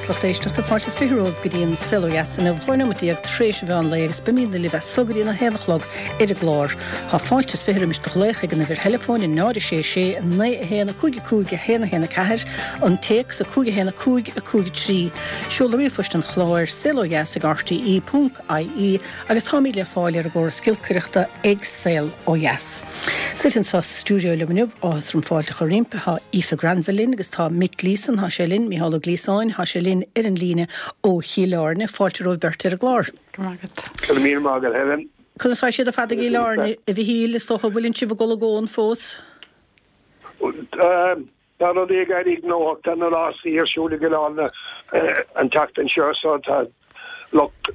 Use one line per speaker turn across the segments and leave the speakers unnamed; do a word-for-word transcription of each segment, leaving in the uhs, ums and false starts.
Dheas lucht éisteachta fáilte is fiche romhaibh go dtí an Saol Ó Dheas inniu dhá nóiméad déag tar éis an mheán lae agus beimidne libh as so go dtí an a haon a chlog ar an gclár. Tá fáilte is fiche roimis do ghlaoch ag an uimhir theileafóin a náid a sé sé naoi a haon a cúig a cúig a haon a haon a ceathair, an téacs a cúig a haon a cúig a cúig a trí. Seoladh ríomhphoist an chláir saol ó dheas ag RTE ponc IE agus táimid le fáil ar an gcóras giolcaireachta ag Saol Ó Dheas. Suite anseo sa stiúideo liom inniu áthas orm fáilte a chur roimpi tá Aoife Granville linn agus tá Mick Gleeson tá sé linn, Micheál Ó Gliasáin tá sé linn ar an líne ó Chill Airne, fáilte romhaibh beirt ar an gclár.
Go raibh míle maith agat Helen.
Conas tá siad ar fad i gCill Airne a Mhichíl is dócha bhfuil sibh ag dul i gcón fós?
Tá rudaí ag éirí gnóthach tá na rásaí ar siúl i gCill Airne an tseachtain seo so tá lucht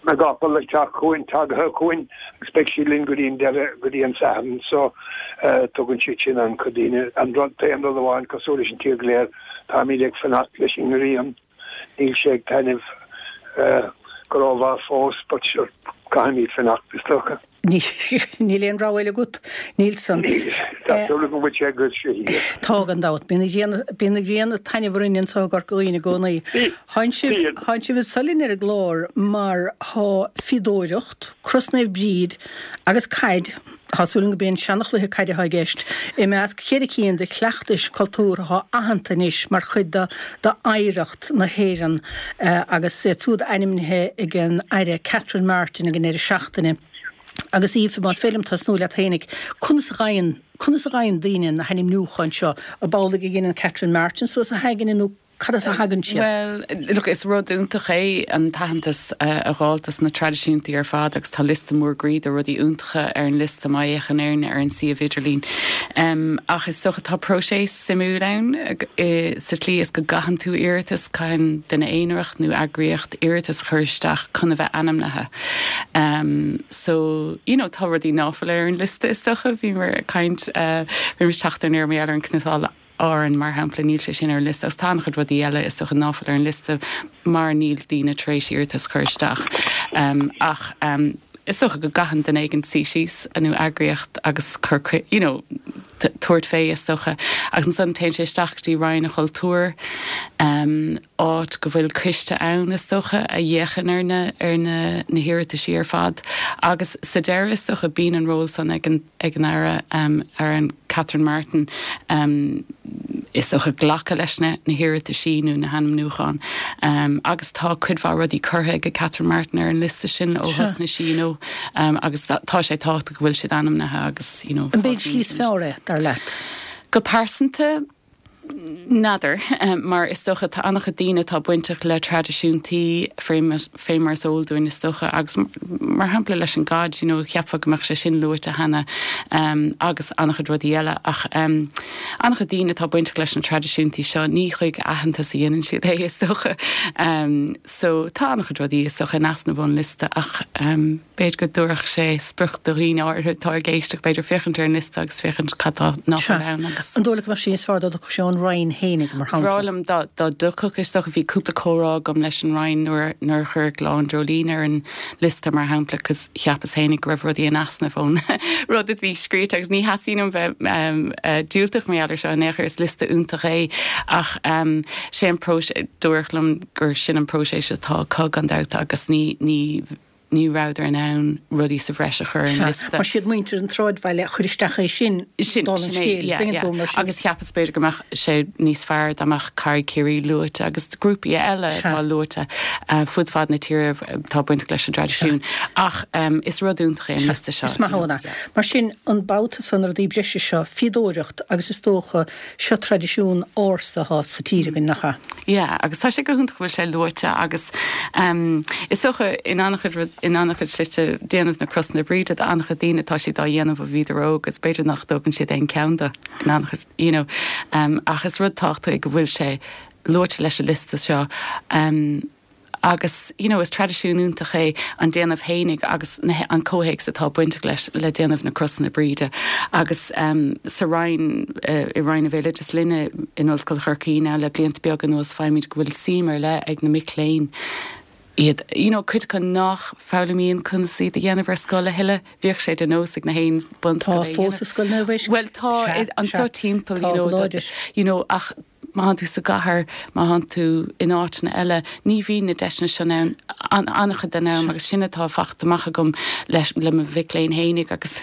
na gcapall ag teacht chugainn tagtha chugainn agus beidh siad linn go dtí an deireadh go dtí an Satharn so tugann siad sin an-chuid daoine an rud t-aon rud amháin cosúil leis an tír go léir táimid ag fanacht leis an ngrian níl sé ag taitneamh go rómhaith fós but sure caithfimid fanacht is dócha.
Níl aon rogha eile agat níl san.
Tá súil go bhfuil sé go sé
Tá gan dabht bíonn bíonn an ghrian ag taitneamh orainn anseo i gCorca Dhuibhne i gcónaí. Tánn sibh tánn sibh anseo linn ar an gclár mar tá fíodóireacht, Cros Naomh Bríd agus caid, tá súil agam gurb é an seanchluiche caide atá i gceist, i measc cheithre cinn de chleachtais cultúrtha atá aitheanta anois mar chuid de d'oidhreacht na hÉireann agus iad siúd ainmnithe ag an Aire Catherine Martin ag an deireadh seachtaine. Agus Aoife, más féidir liom tosnú leat fhéinig, conas a fhaigheann conas a fhaigheann daoine na hainmniúcháin seo, ab amhlaidh a dhéanann Catherine Martin suas a haigne nó cad as a thagann siad?
Well, look, is rud iontach é an t-aitheantas a fháil as na traidisiúntaí ar fad agus tá liosta mór groí de rudaí iontacha ar an liosta má fhéachann éinne ar an suíomh idirlín. Um, ach is dócha tá próiseas suimiúil ann sa tslí is go gcaitheann tú iarratas caitheann duine aonarach nó eagraíocht iarratas chur isteach chun a bheith ainmnithe. Um, so you know, tá rudaí nach bhfuil ar an liosta is dócha bhí mar caint uh, bhí teacht ar mé ar an cniotáil Árann mar shampla níl sé sin ar an liosta agus tá an-chuid rudaí eile is dócha nach bhfuil ar an liosta mar níl daoine tar éis iarratas chur isteach. Um, ach um, is dócha go gcaitheann duine éigin suí síos nó eagraíocht agus chur you know, tabhairt fé is dócha agus ansan téann sé isteach dtí Roinn an Chultúir um, áit go bhfuil coiste ann is dócha a fhéachann ar na ar na na hiarrataisí ar fad agus sa deireadh is dócha bíonn an ról san ag an ag an aire um, ar an Catherine Martin um, is dócha glacadh leis na na hiarrataisí nó na hainmniúcháin um, agus tá cuid mhaith rudaí curtha ag Catherine Martin ar an liosta sin ó thosnaigh sí you know, um, agus tá sé tábhachtach go bhfuil siad ainmnithe agus you know,
An b'é an tslí is fearr é dar leat.
Go pearsanta n'fheadar um, mar is dócha tá an-chuid daoine atá bainteach le traidisiúntaí fé mar is eol dúinn is dócha agus mar shampla leis an gcaid you know, cheapfá go mbeadh sé sin luaite cheana um, agus an-chuid rudaí eile ach um, an-chuid daoine atá bainteach leis na traidisiúntaí seo ní chuig aitheantas a dhéanann siad é is dócha um, so tá an-chuid rudaí is dócha in easnamh ón liosta ach um, b'fhéidir go dtabharfadh sé sprioc do dhaoine áirithe atá ag éisteacht b'fhéidir féachaint ar an liosta agus féachaint cad tá nach ann agus.
An dóigh leat go mbeadh sé níos fearr dá dtiocfadh sé ón Roinn fhéinig mar shampla.
B'fhearr liom dá dtiocfadh is dócha bhí cúpla comhrá agam leis an Roinn nuair nuair chuir Oileán Dreoilín ar an liosta mar shampla cos cheapas fhéinig go raibh rudaí in easnamh ón rud a bhí scríte agus ní theastaíonn bheith um, uh, diúltach mar seo in aon chor is liosta iontach é ach um, sé an próiseas dúradh liom gur sin an próiseas atá acu gan dabht agus ní ní ní rabhadar in ann rudaí sa bhreis a chur an liosta.
Mar siad muintir an tsráidbhaile a chuir isteach é sin
sin agus cheapas b'fhéidir go mbeadh sé níos fearr dá mbeadh Carraig Chiarraí luaite agus grúpaí eile atá luaite uh, fud fad na tíre tá baint leis an traidisiún ach um, is rud iontach é an liosta seo.
Is maith Mar sin an babhta san rudaí breise seo fíodóireacht agus is dócha seo traidisiún ársa atá sa tír againn nach ea.
Yeah, agus tá sé go hiontach bhfuil sé luaite agus um, is dócha in an-chuid in an-chuid slite déanamh na crosanna Bríde an-chuid daoine tá siad á dhéanamh ó bhíodar óg agus b'fhéidir nach dtógann siad aon cheann de in an-chuid you know, um, ach is rud tábhachtach go bhfuil sé luaite leis an liosta seo. Um, agus you know, is traidisiún iontach é an déanamh fhéinig agus na, an comhthéacs atá bainteach leis le déanamh na crosanna Bríde agus um, sa Roinn uh, i Roinn an Bhéaloidis linne in Ollscoil Chorcaí le blianta beaga anuas feicimid go bhfuil suim ar leith ag na mic léinn iad you know, cuid acu nach bhfoghlaimíonn conas iad a dhéanamh ar scoil a thuilleadh bhíodh sé de nós ag na haon
Tá fós scoil na
Well tá anseo timpeall you know, you know, ach má thánn tú sa gcathair, má thánn tú in áiteanna eile, ní bhíonn na deiseanna sin ann an-chuid den am agus sin atá fachta amach agam leis le mo mhic léinn fhéinig agus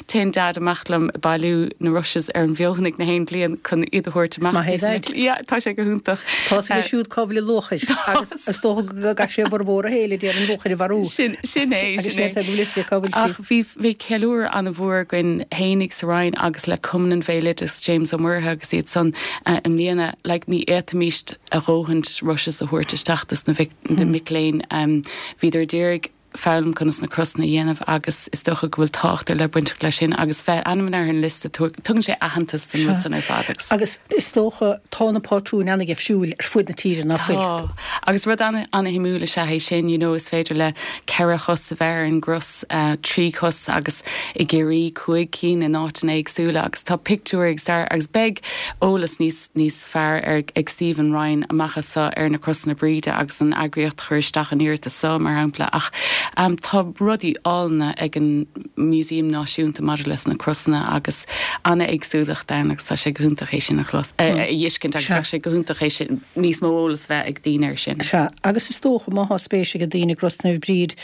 téann Dad amach liom ag bailiú na rushes ar an bhfeothanaigh na haon bhliain chun iad a thabhairt amach.
Maith é Daid.
Yeah, tá sé go hiontach.
Tá sé siúd cá bhfuil an luachair agus is dócha go gcaith sé a bhformhór a shaoil ag iarraidh an luachair a mharú.
Sin sin é,
Agus
sin
sé
é.
go bhfuil fhios aige cá bhfuil sí.
Ach bhí bhí ceiliúradh an-mhór againn fhéinig sa Roinn agus le Cumann an Bhéaloideas James Ó Muirthile agus iad san uh, i mbliana like, ní fhéadfaimis a dhóthain rushes a thabhairt isteach dos na mhic, na mic léinn um, bhíodar d'iarraidh foghlaim conas na crosanna a dhéanamh agus is dócha go bhfuil tábhacht le bainteach leis sin agus bheith ainm ar an liosta tugann sé aitheantas don rud san ar fad agus
Agus is dócha tá na pátrúin an-difriúil ar fud na tíre nach bhfuil.
Tá. Agus rud an-shuimiúil is ea é sin, you know, is féidir le ceithre chos a bheith ar an gcros uh, trí chos agus i gCiarraí cúig cinn in áiteanna éagsúla agus tá pictiúr ag star agus beidh eolas níos níos fearr ar ag Stephen Ryan amach anseo ar na crosanna Bríde agus an eagraíocht chuir isteach an iarratas seo mar shampla ach um, tá rudaí áille ag an Museum Náisiúnta maidir leis na crosanna agus an-éagsúlacht ann agus tá sé go hiontach é sin a chlos a fheiscint agus tá sé go hiontach é sin níos mó eolas bheith ag daoine ar sin.
Sea, agus is dócha má tá spéis ag daoine i gCros Naomh Bríd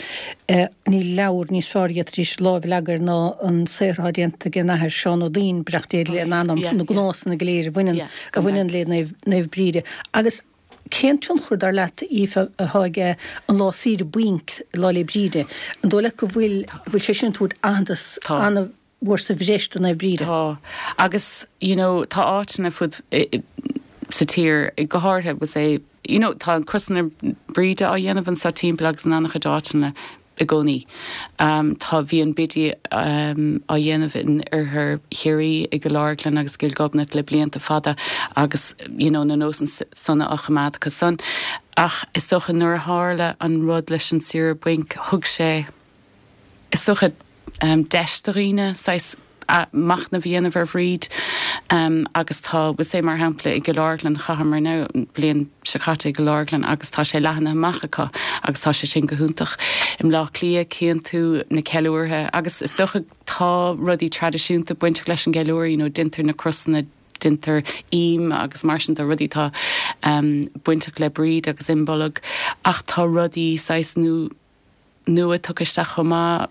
eh, ní leabhar níos fearr d'fhéadfaidís lámh a leagan air ná an saothar déanta ag an Athair Seán Ó Duinn breachtéad le an anam
Yeah,
na gnásanna go léir a bhaineann
Yeah,
a bhaineann le Naomh Naomh Bríde. Agus cén tionchar dar leat Aoife atá aige an lá saoire bainc Lá 'le Bríde. An dóigh leat go bhfuil bhfuil sé sin ag tabhairt aitheantas
Tá.
an-mhór sa bhreis do Naomh Bríde.
Tá agus you know tá áiteanna fud i- i- sa tír go háirithe was é you know tá an crosanna Bríde á dhéanamh anseo timpeall agus in an-chuid áiteanna i gcónaí. Um, tá bhí an bidí um, á dhéanamh in oirthear Chiarraí i gCill Orglan agus Cill Ghobnait le blianta fada agus you know, na nósanna san á choimeád acu san. Ach is dócha nuair a tharla an rud leis an saoire bainc thug sé is dócha um, deis do dhaoine saghas machnamh a dhéanamh ar Bhríd um, agus tá was é mar shampla i gCill Orglan chaitheamar now bliain seo caite i gCill Orglan agus tá sé leathnaithe amach acu agus tá sé sin go hiontach. I mBleá Cliath cíonn tú na ceiliúrtha agus is dócha tá rudaí traidisiúnta bainteach leis an gceiliúradh, you know, déantar na crosanna déantar im agus mar sin de rudaí tá um, bainteach le Bríd agus Imbolg ach tá rudaí saghas nua nua tugtha isteach chomh maith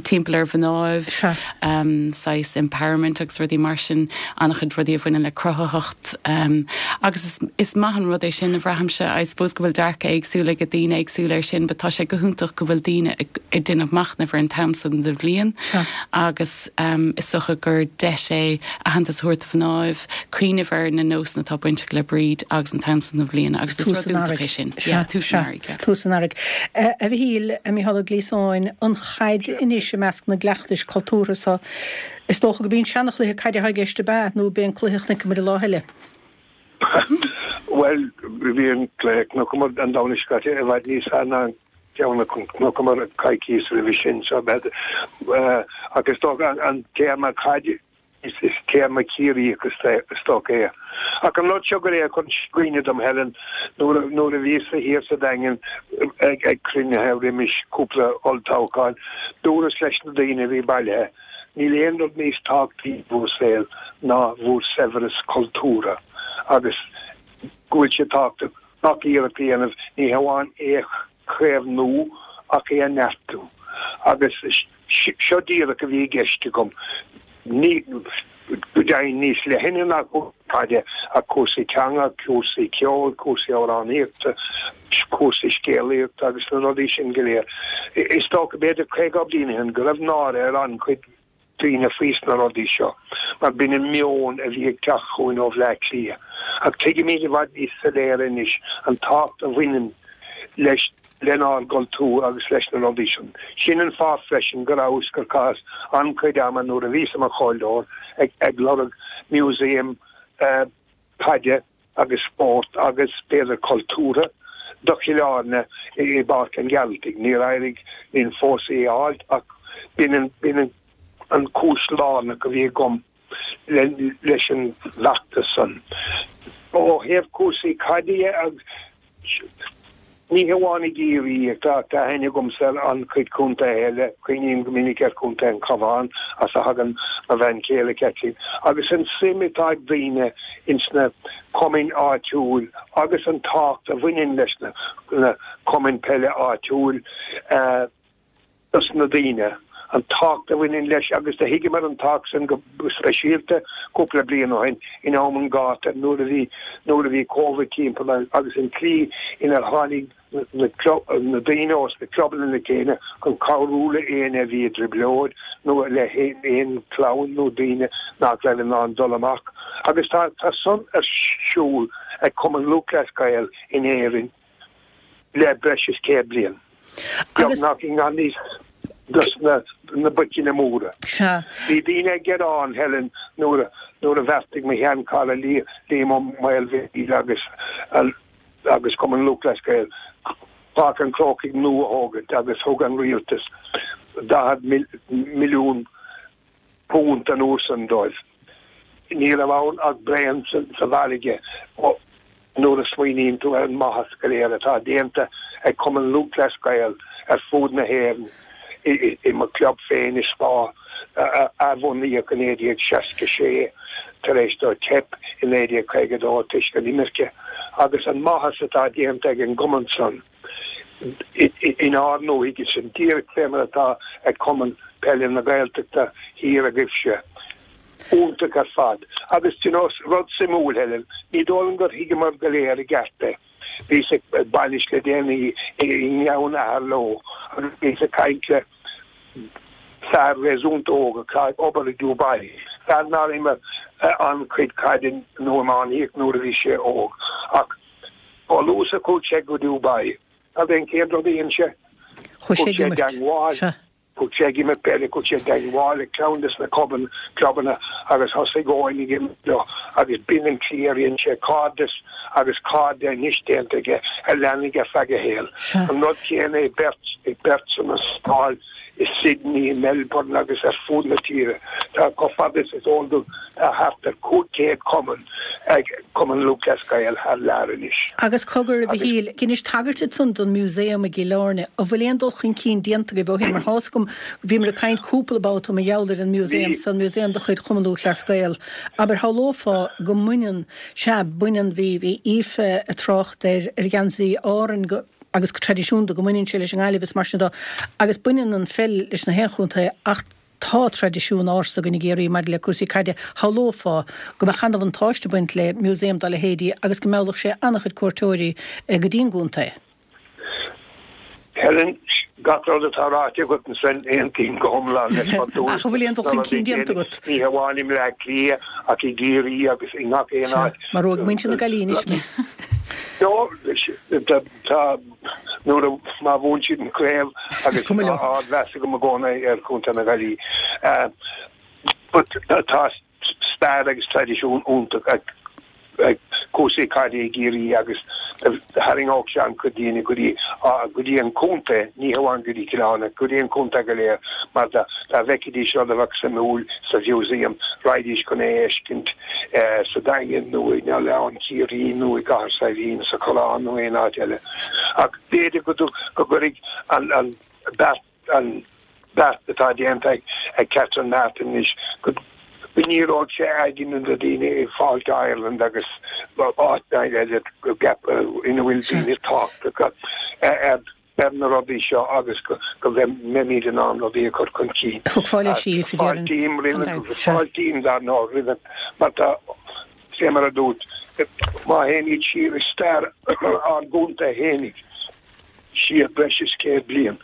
timpeall ar mhnáibh
Sea.
um, saghas empowerment agus rudaí mar sin an-chuid rudaí a bhaineann le cruthaitheacht um, agus is, is maith an rud é sin a bhraithimse I suppose go bhfuil dearcadh éagsúil ag daoine éagsúla ar sin, but tá sé go hiontach go bhfuil daoine ag ag déanamh machnamh ar an t-am san den bhliain
Sea.
agus um, is dócha gur deis é aitheantas a thabhairt do mhnáibh cuimhneamh ar na nósanna atá bainteach le Bríd agus an t-am san den bhliain agus is
Tús
rud
an
iontach é
earraigh.
sin.
Sea,
Yeah, tús
sea,
an earraigh, yeah.
Tús an earraigh. Eh, A Mhichíl a Micheál Ó Gliasáin an chaid anois i measc na gcleachtais cultúrtha so is dócha go mbíonn seanchluiche caide i gceist ab ea nó b'é an cluiche a chonaiceamar lá eile.
Well, bhí an cluiche a chonaiceamar an Domhnach seo caite i bhfad níos fearr ná ceann a chonaiceamar coicís roimhe sin so bed agus dócha an, an téarma caid is, is téarma Ciarraí agus is dócha é. Ach an rud seo go é chun cuimhne dom Helen nuair nuair a bhí sa thiar sa Daingean ag ag cruinnithe roimis cúpla olltoghchán dúras leis na daoine a bhí bailithe. Níl aon rud níos tábhachtaí bhur saol ná bhur saibhreas cultúrtha agus go bhfuil sé tábhachtach nach iarracht a dhéanamh ní hamháin é chaomhnú ach é a neartú. Agus seo díreach a bhí i gceist agam. Ní go deimhin níos leithne ná caide a cúrsaí teanga, cúrsaí ceoil, cúrsaí amhránaíochta, cúrsaí scéalaíochta agus na rudaí sin go léir. Is dócha b'fhéidir caoga bliain ó shin go raibh náire ar an-chuid daoine faoi na rudaí seo, mar b'in an meon a bhí ag teacht chugainn ó Bhleá Cliath. Ach tuigimid i bhfad níos soiléire anois an tábhacht a bhaineann leis lenár gcultúr agus leis na rudaí sin. Sin an fáth freisin go rabhas gur chaitheas an-chuid ama nuair a bhíos i mo chomhairleoir ag, ag lorg museum uh, caide agus sport agus b'fhéidir cultúrtha do Chill Airne i bPáirc an Ghearaltaigh. Níor éirigh linn fós é a fháil ach b'in b'in an cúis lárnach a bhí agam le, leis an bhfeachtas san. Ó thaobh cúrsaí caide agus Ní hamháin i gCiarraí, tá tá aithne agamsa ar an-chuid contaetha eile, cuimhním go minic ar Chontae an Chabháin as a thagann mo bhean chéile Caitlín, agus an suim atá ag daoine ins na cumainn áitiúil agus an tábhacht a bhaineann leis na na cumainn peile áitiúil dos na daoine, an tábhacht a bhaineann leis agus do thuigeamar an tábhacht san go speisialta cúpla bliain ó shin in am an ghátair nuair a bhí nuair a bhí Covid timpeall agus an tslí inar tháinig na na daoine ós na clubanna le chéile chun cabhrú le éinne a bhí i dtrioblóid nó le haon chlann nó daoine nach raibh in ann dul amach. Agus tá tá san ar siúl ag Cumann Lúthchleas Gael in Éirinn le breis is céad bliain. Beagnach i ngan fhios dos na na boiceanna móra.
Sea.
Bhí daoine ag gearán, Helen, nuair a nuair a bheartaigh mo sheanchara Liam Ó Maolmhaoil agus agus Cumann Lúthchleas Gael Páirc an Chrócaigh nua a thógaint agus thug an rialtas daichead milliún punt an uair san dóibh. Ní raibh ann ach braon sa bhfarraige nuair a smaoiníonn tú ar an maitheas go léir atá déanta ag Cumann Lúthchleas Gael ar fud na hÉireann. I mo chlub féin i Spa, a athbhunaíodh i naoi déag seasca sé tar éis dó teip i naoi déag caoga dó toisc an imirce, agus an maitheas atá déanta ag an gcumann san inár ndúthaigh, sin díreach fé mar atá ag Cumann Peile na Gaeltachta thiar agaibhse. Iontach ar fad. Agus do you know, rud suimiúil, Helen, ní dóigh liom gur thuigeamar go léir i gceart é. Bhíos ag bainis le déanaí i nGleann Aherlow agus bhíos ag caint le fear réasúnta óg atá ag obair i Dubai, fear nár imir an-chuid caide nó iománaíocht nuair a bhí sé óg, ach chomh luath is a chuaigh sé go Dubai, cad é an chéad rud a dhein sé?
Chuaigh sé
Chuaigh
ag
sé i
imirt.
dteangmháil.
Sea.
Chuaigh sé ag imirt peile, chuaigh sé i dteangmháil le ceann des na clubanna agus thosaigh Eoin ag imirt leo agus b'in an tslí ar dhein sé cairdeas agus cairde anois déanta aige a leanfaidh ar feadh a shaoil. An rud céanna ag beirt, ag beirt san Astráil, i Sydney, i Melbourne agus ar fud na tíre. Tá, chomh fada is is eol dom, tá thart ar cúig chéad cumann ag Cumann Lúthchleas Gael thar lear anois.
Agus cogar, a Mhichíl, dheinis tagairt ansan don Museum i gCill Airne. An bhfuil aon dul chun cinn déanta agaibh ó shin? Mar tá's agam, bhíomar ag caint cúpla babhta mar gheall ar an Museum san, Museum de chuid Chumann Lúthchleas Gael. Abair, shamhlófá go mbaineann, sea, baineann, bhí, bhí Aoife ag trácht ar, ar gheansaí Árann go, agus go traidisiúnta go mbaineann sé leis an nGaillimh is mar sin de, agus baineann an pheil leis na haon chontae ach tá traidisiún ársa againn i gCiarraí maidir le cúrsaí caide, shamhlófá go mbeadh an-bhuntáiste ag baint le museum dá leithéidí agus go meallfadh sé an-chuid cuairteoirí go dtí'n gcontae.
Helen, gach rud atá ráite agat ansin, aontaím go hiomlán leis mar dúirt.
Ach an bhfuil aon dul chun cinn déanta agat?
Ní hamháin i mBleá Cliath ach i gCiarraí agus i ngach aon
Sea,
áit.
maróidh muintir na Gaillimhe anois mé.
No, tá, nuair a, má bhuann siad an chraobh
Is
agus
cuma
tá
leo.
ardmheas agam i gcónaí ar Chontae na Gaillimhe. But tá stair agus traidisiún iontach ag ag cúrsaí caide i gCiarraí agus tharraingeodh sé an-chuid daoine go dtí go dtí an contae, ní hamháin go dtí Cill Airne, go dtí an contae go léir mar dá dá bhfeicfidís rud a bheadh suimiúil sa mhúsaem, raghaidís chun é a fheiscint sa Daingean nó in Oileán Ciarraí nó i gCathair Saidhbhín, sa Choireán nó aon áit eile. Ach b'fhéidir go go gcuirfidh an an beart an beart atá déanta ag Catherine Martin anois go ndíreoidh sé aigne na daoine i Fáilte Ireland agus áiteanna eile ina bhfuil daoine tábhachtacha ar na rudaí seo agus go mbeimid in ann rudaí a chur chun cinn.
Thiocfá leis, Aoife, déarfainn.
Fáiltím roimh, fáiltím dar ndóigh roimhe mar tá, fé mar a dúirt, má théimid siar i stair ár gcontae fhéinig, siar breis is céad bliain.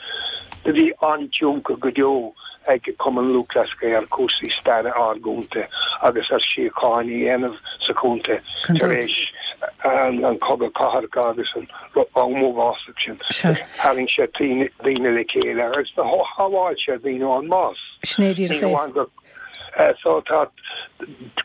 Do bhí an-tionchar go deo ag Cumann Lúthchleas Gael ar chúrsaí staire ár gcontae agus ar síocháin a dhéanamh sa chontae tar éis an Chogadh Cathartha agus an am uafásach sin. Tharraing sé daoine le chéile agus do shábháil sé daoine ón mbás.
Sin é díreach
Ní
é.
hamháin gur So tá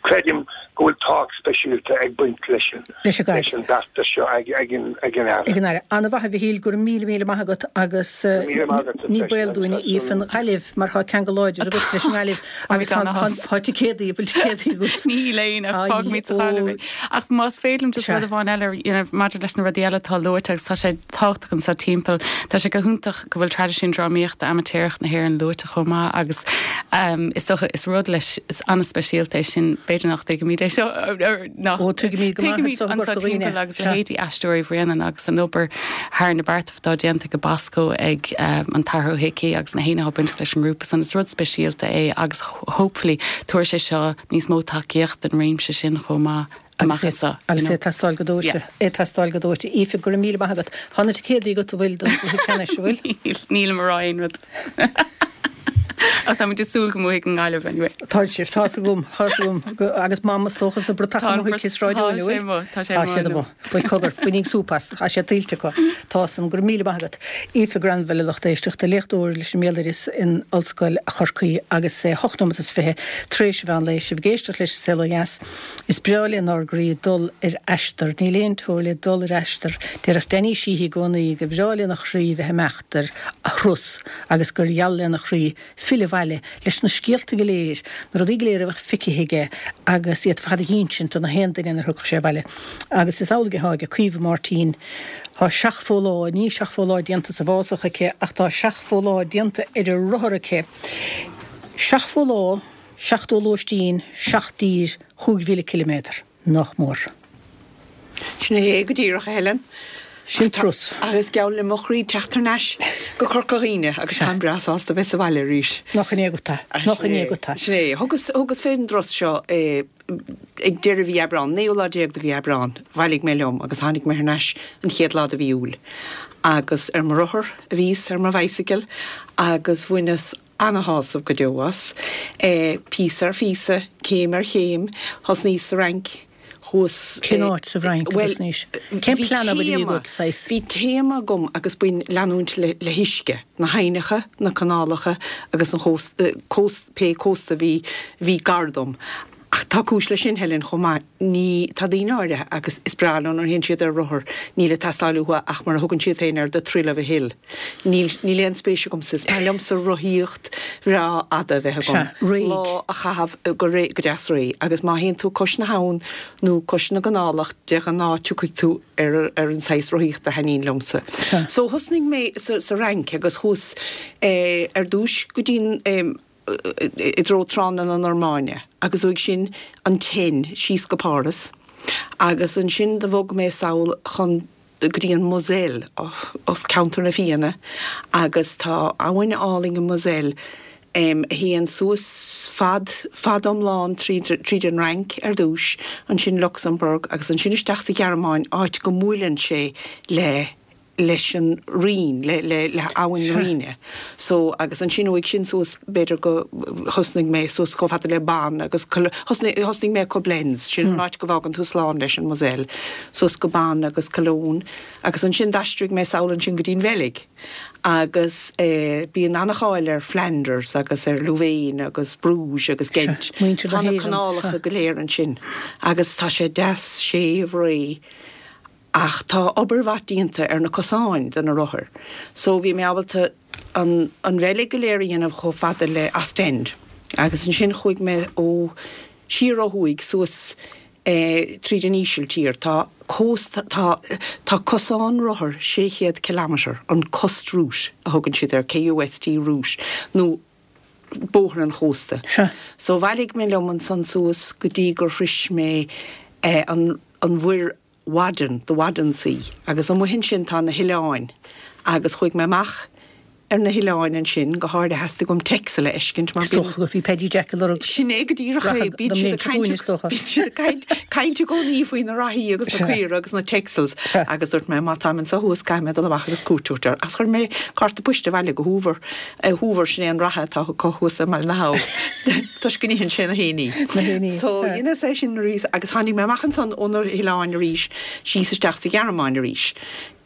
creidim go bhfuil tábhacht speisialta ag baint leis an
Leis an gcaid.
leis an bheartas seo ag ag an ag an Aire.
Ag an Aire. Ana-mhaith a Mhichíl, go raibh míle míle maith agat agus eh,
Go raibh míle maith agat,
ní
freisin,
baol dúinn
agus
Aoife an Ghaillimh mar tá ceangal láidir agat leis an nGaillimh agus
gan áthas.
tá ticéadaí bhfuil ticéadaí agat.
Níl aon ach
Ai,
fágfaimid sa
ó.
Ghaillimh é. Ach más féidir liom just
Sea.
rud amháin eile you know, maidir leis na rudaí eile atá luaite agus tá sé tábhachtach anseo timpeall. Tá sé go hiontach go bhfuil traidisiún drámaíochta amaitéarach na hÉireann luaite chomh maith agus um, is dócha is rud leis is an-speisialta é sin b'fhéidir nach dtuigimid é seo nach
Ó, tuigimid go maith
tuigimid
anseo
anseo
Corca Dhuibhne.
timpeall agus
Sea.
leithéidí Aisteoirí Bhréanainn agus an obair thar na bearta atá déanta go Basco ag um, an tAthair Ó hIcí agus na héine baint leis an ngrúpa san is rud speisialta é agus hopefully tabharfaidh sé seo níos mó tacaíocht den réimse sin chomh maith amach anseo, you
agus
know.
é teastáil go dóite
Yeah.
é teastáil go dóite Aoife go raibh míle maith agat. Tá na ticéadaí agat a bhfuil don chluiche ceannais an bhfuil?
Níl mar aon rud. Ach tá muid ag súil go mbuafaidh an Ghaillimh anyway.
Tá sibh tá gom tá gom agus mam stóchas na brata
Tá an
chuig raidió
tá sé amuigh, tá sé
Tá
amuigh
sé
inniu.
Bhuel cogar buínig súpas tá sé tuillte acu Tá san go raibh míle maith agat. Aoife Granville lucht éisteachta léachtóir leis an mbéaloideas in Ollscoil Chorcaí agus é hocht nóiméad is fiche tar éis an mheán lae sibh ag éisteacht leis Saol Ó Dheas. Is breá lenár gcroí dul ar aistear, níl aon teora le dul ar aistear, Déarfadh Danny Sheehy i gcónaí go breá lena chroí bheith imeacht ar a thuras agus gur gheal lena chroí filleadh abhaile leis na scéalta go léir, na rudaí go léir a bheadh feicthe aige agus iad fad a insint do na haon duine a thiocfadh sé abhaile. Agus is amhlaidh atá ag Caoimhe Máirtín Tá seachtó lá ní seachtó lá déanta sa bhfásach aici ach tá seachtó lá déanta ar a rothar aici. Seachtó lá, seachtó lóistín, seacht dtír, chúig mhíle ciliméadar, nach mór.
Sin é go díreach Helen.
Sin turas.
Agus geall le mo chroí teacht thar n-ais go Corca Dhuibhne agus táim breá sásta bheith sa bhaile arís.
Nach in éagat Nach in éagat.
Sin é thugas thugas fén dturas seo eh, ag deireadh mhí Aibreán, naoú lá déag de mhí Aibreán, bhailigh mé liom agus tháinig mé thar n-ais an chéad lá de mhí Iúil. Agus ar mo rothar a bhíos ar mo bicycle agus bhaineas ana-shásamh go deo as. Eh, píosa ar phíosa, céim ar chéim, thosnaíos sa Fhrainc, chuas
Cén áit sa Fhrainc
Well,
agus níos. Cén
bhí
plean a bhí
téama-
agat, saghas?
Bhí téama agam agus b'in leanúint le, le huisce, na haibhneacha, na canálacha agus an chóst, cóst, pé cósta bhí bhí gar dom. Ach tá cúis leis sin Helen chomh maith ní tá daoine áirithe agus is breá leo nuair a théann siad ar rothar níl ag teastáil uathu ach mar a thugann siad féin air the thrill of a hill. Níl níl aon spéis agamsa is maith liomsa rothaíocht bhreá fhada bheith agam.
Sea, réidh.
Lá a chaitheamh go ré go deas réidh agus má théann tú cois na habhann nó cois na gcanálach de ghnáth tiocfaidh tú ar ar an saghas rothaíochta a thaitníonn liomsa.
Sea.
So thosnaigh mé sa, sa Fhrainc agus chuas eh, ar dtús go dtí eh, i dtreo tránna na Normainne, agus uaidh sin an Seine síos go Páras. Agus ansin do bhog mé sall chun go dtí an Moselle of, of ceantar na fíona, agus tá abhainn álainn an Moselle um, a théann suas fad fad iomlán tríd tríd an Fhrainc ar dtús, ansin Luxembourg agus ansin isteach sa Ghearmáin áit go mbuaileann sé le leis an Rhine le le le abhainn Rhine. So agus ansin uaidh sin suas b'fhéidir go thosnaigh mé suas chomh fada le Bonn agus thosnaigh mé Koblenz sin an áit go bhfágann tú slán leis an Moselle, suas go Bonn agus Cologne agus ansin d'aistrigh mé sall ansin go dtí an Bheilg. Agus eh, bíonn an-cháil ar Flanders agus ar Louvain agus Bruges agus Ghent.
muintir na
Tá na
hÉireann,
canálacha
sea.
go léir ansin. Agus tá sé deas séimh réidh. Ach tá obair mhaith déanta ar na cosáin de na rothair. So bhí mé ábalta an, an Bheilg go léir a dhéanamh chomh fada le Ostend. Agus ansin chuaigh mé ó siar ó thuaidh suas eh, tríd an Ísiltír. Tá cósta tá, tá cosán rothar sé chéad kilometer an Kust Route a thugann siad ar KUST Route nó bóthar an chósta.
Sea.
So bhailigh mé liom ansan suas go dtí gur shroich mé eh, an, an mhuir Wadden, the Wadden Sea, agus an muhin sin tá na hoileáin, agus chuaigh mé amach ar na hoileáin ansin go háirithe theastaigh uaim Texel a fheiscint mar
Is dócha go bhí Paddy Jack ag lorg
Sin é go díreach é,
Rachaidh
bíonn
na
siad ag
mblianta chugainn, is dócha.
bíonn siad ag caint caint i gcónaí faoi na reathaí agus na
Sea.
caora agus na Texels
Sea.
agus dúirt mé má táim anseo thuas caithfidh mé dul amach agus cuairt a thabhairt air. As chuir mé cárta poist abhaile go Hoover eh, Hoover sin é an reatha atá acu thuas i mBaile na hAbha. Toisc go n-itheann sé na héiní.
Na héiní,
So
sea.
dheineas é sin arís agus tháinig mé amach ansan ó na hoileáin arís síos isteach sa Ghearmáin arís.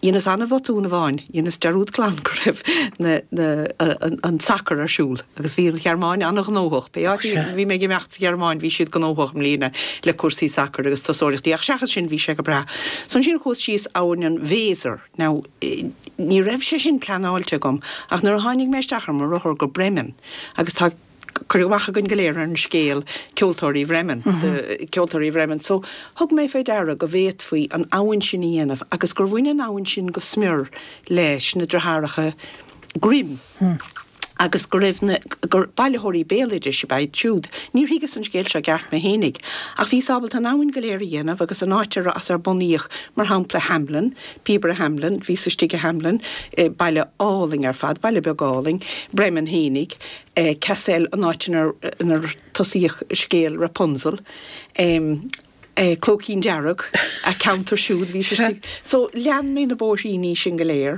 Dheineas an-bhotún amháin, dheineas dearúd glan go raibh na, na, an, an sacar ar siúl agus bhí an Ghearmáin an-ghnóthach. Pé áit a bhí mé ag imeacht sa Ghearmáin bhí siad gnóthach i mbliana le cúrsaí sacair agus turasóireachtaí ach seachas sin bhí sé go breá. So ansin chuas síos abhainn an Weser. Now, ní raibh sé sin pleanáilte agam ach nuair a tháinig mé isteach ar mo rothar go Bremen agus tá cur amach againn go léir ar an scéal Ceoltóirí Bhremen, the Ceoltóirí Bhremen. So thug mé fé deara go bhféadfaí an abhainn sin a dhéanamh agus gur bhain an abhainn sin go smior leis na deartháireacha Grimm. Agus go raibh na, gur bailitheoirí béaloidis ab ea iad siúd. Níor thuigeas an scéal seo i gceart mé fhéinig, ach bhíos ábalta an abhainn go léir a dhéanamh agus an áit ar as ar bunaíodh, mar shampla, Hamelin, Píobaire Hamelin, bhíos istigh i Hamelin, baile álainn ar fad, baile beag álainn, Bremen fhéinig, Kassel, an áit inar inar tosaíodh scéal Rapunzel, Clóicín Dearg, a ceantar siúd, bhíos istigh. So lean mé na bóithríní sin go léir.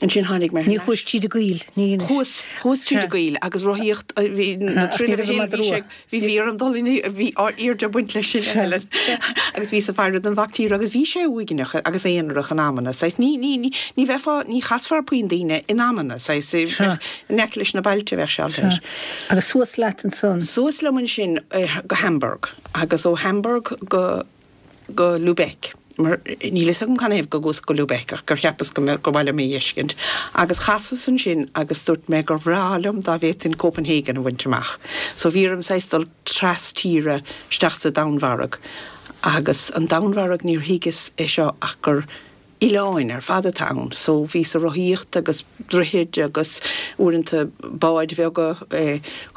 Ansin tháinig mé thar
Ní
n-ais.
chuais tríd an gcoill, ní anois.
Chuas, chuas tríd an gcoill agus rothaíocht, bhí na Ní raibh an madra rua. Bhí bhí orm dul in, bhí airde ag baint leis sin, a Helen. Agus bhíos ag faire don mhac tíre agus bhí sé uaigneach agus aonarach in amanna. Saghas ní, ní, ní, ní bheifeá, ní chasfá ar puinn daoine in amanna, saghas,
Sea.
in aice leis na bailte bheadh sé
Sea.
leis.
Agus suas leat ansan.
Suas liom ansin go Hamburg agus ó Hamburg go, go Lubeck. Mar níl fhios agam canathaobh go gcuas go Lubeck ach gur cheapas go mbeadh, gur mhaith liom é a fheiscint. Agus chasas ansin agus dúirt mé gur bhreá liom dá bhféadfainn Copenhagen a bhaint amach. So bhí orm saghas dul tras tíre isteach sa Danmhairg. Agus an Danmhairg níor thuigeas é seo ach gur oileáin ar fad atá ann. So bhíos ag rothaíocht agus droichid agus uaireanta báid bheaga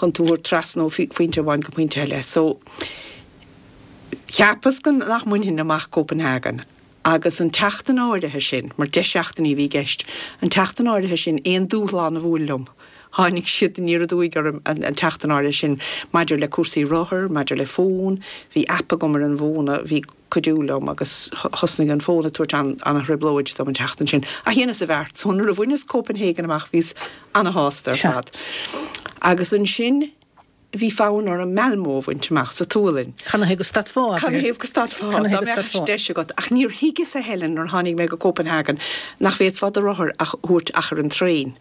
chun tú a thabhairt trasna ó phointe amháin go pointe eile. So cheapas go nach mbainfinn amach Copenhagen agus an tseachtain áirithe sin, mar deich seachtainí a bhí i gceist, an tseachtain áirithe sin aon dúshlán a bhuail liom, tháinig siad aniar aduaidh orm an tseachtain áirithe sin maidir le cúrsaí rothar, maidir le fón, bhí aip agam ar an bhfón a bhí ag cuidiú liom agus thosnaigh an fón ag tabhairt an-trioblóid dom an tseachtain sin. Ach dheineas an bheart, so nuair a bhaineas Copenhagen amach bhíos ana-shásta ar fad. Agus ansin. Bhí fonn orm Malmö a bhaint amach sa tSualainn.
Canathaobh go stadfá, abair?
Canathaobh go stadfá, dá mbeadh deis agat. Ach níor thuigeas, a Helen, nuair a tháinig mé go Copenhagen, nach bhféadfá do rothar a thabhairt ach ar an traein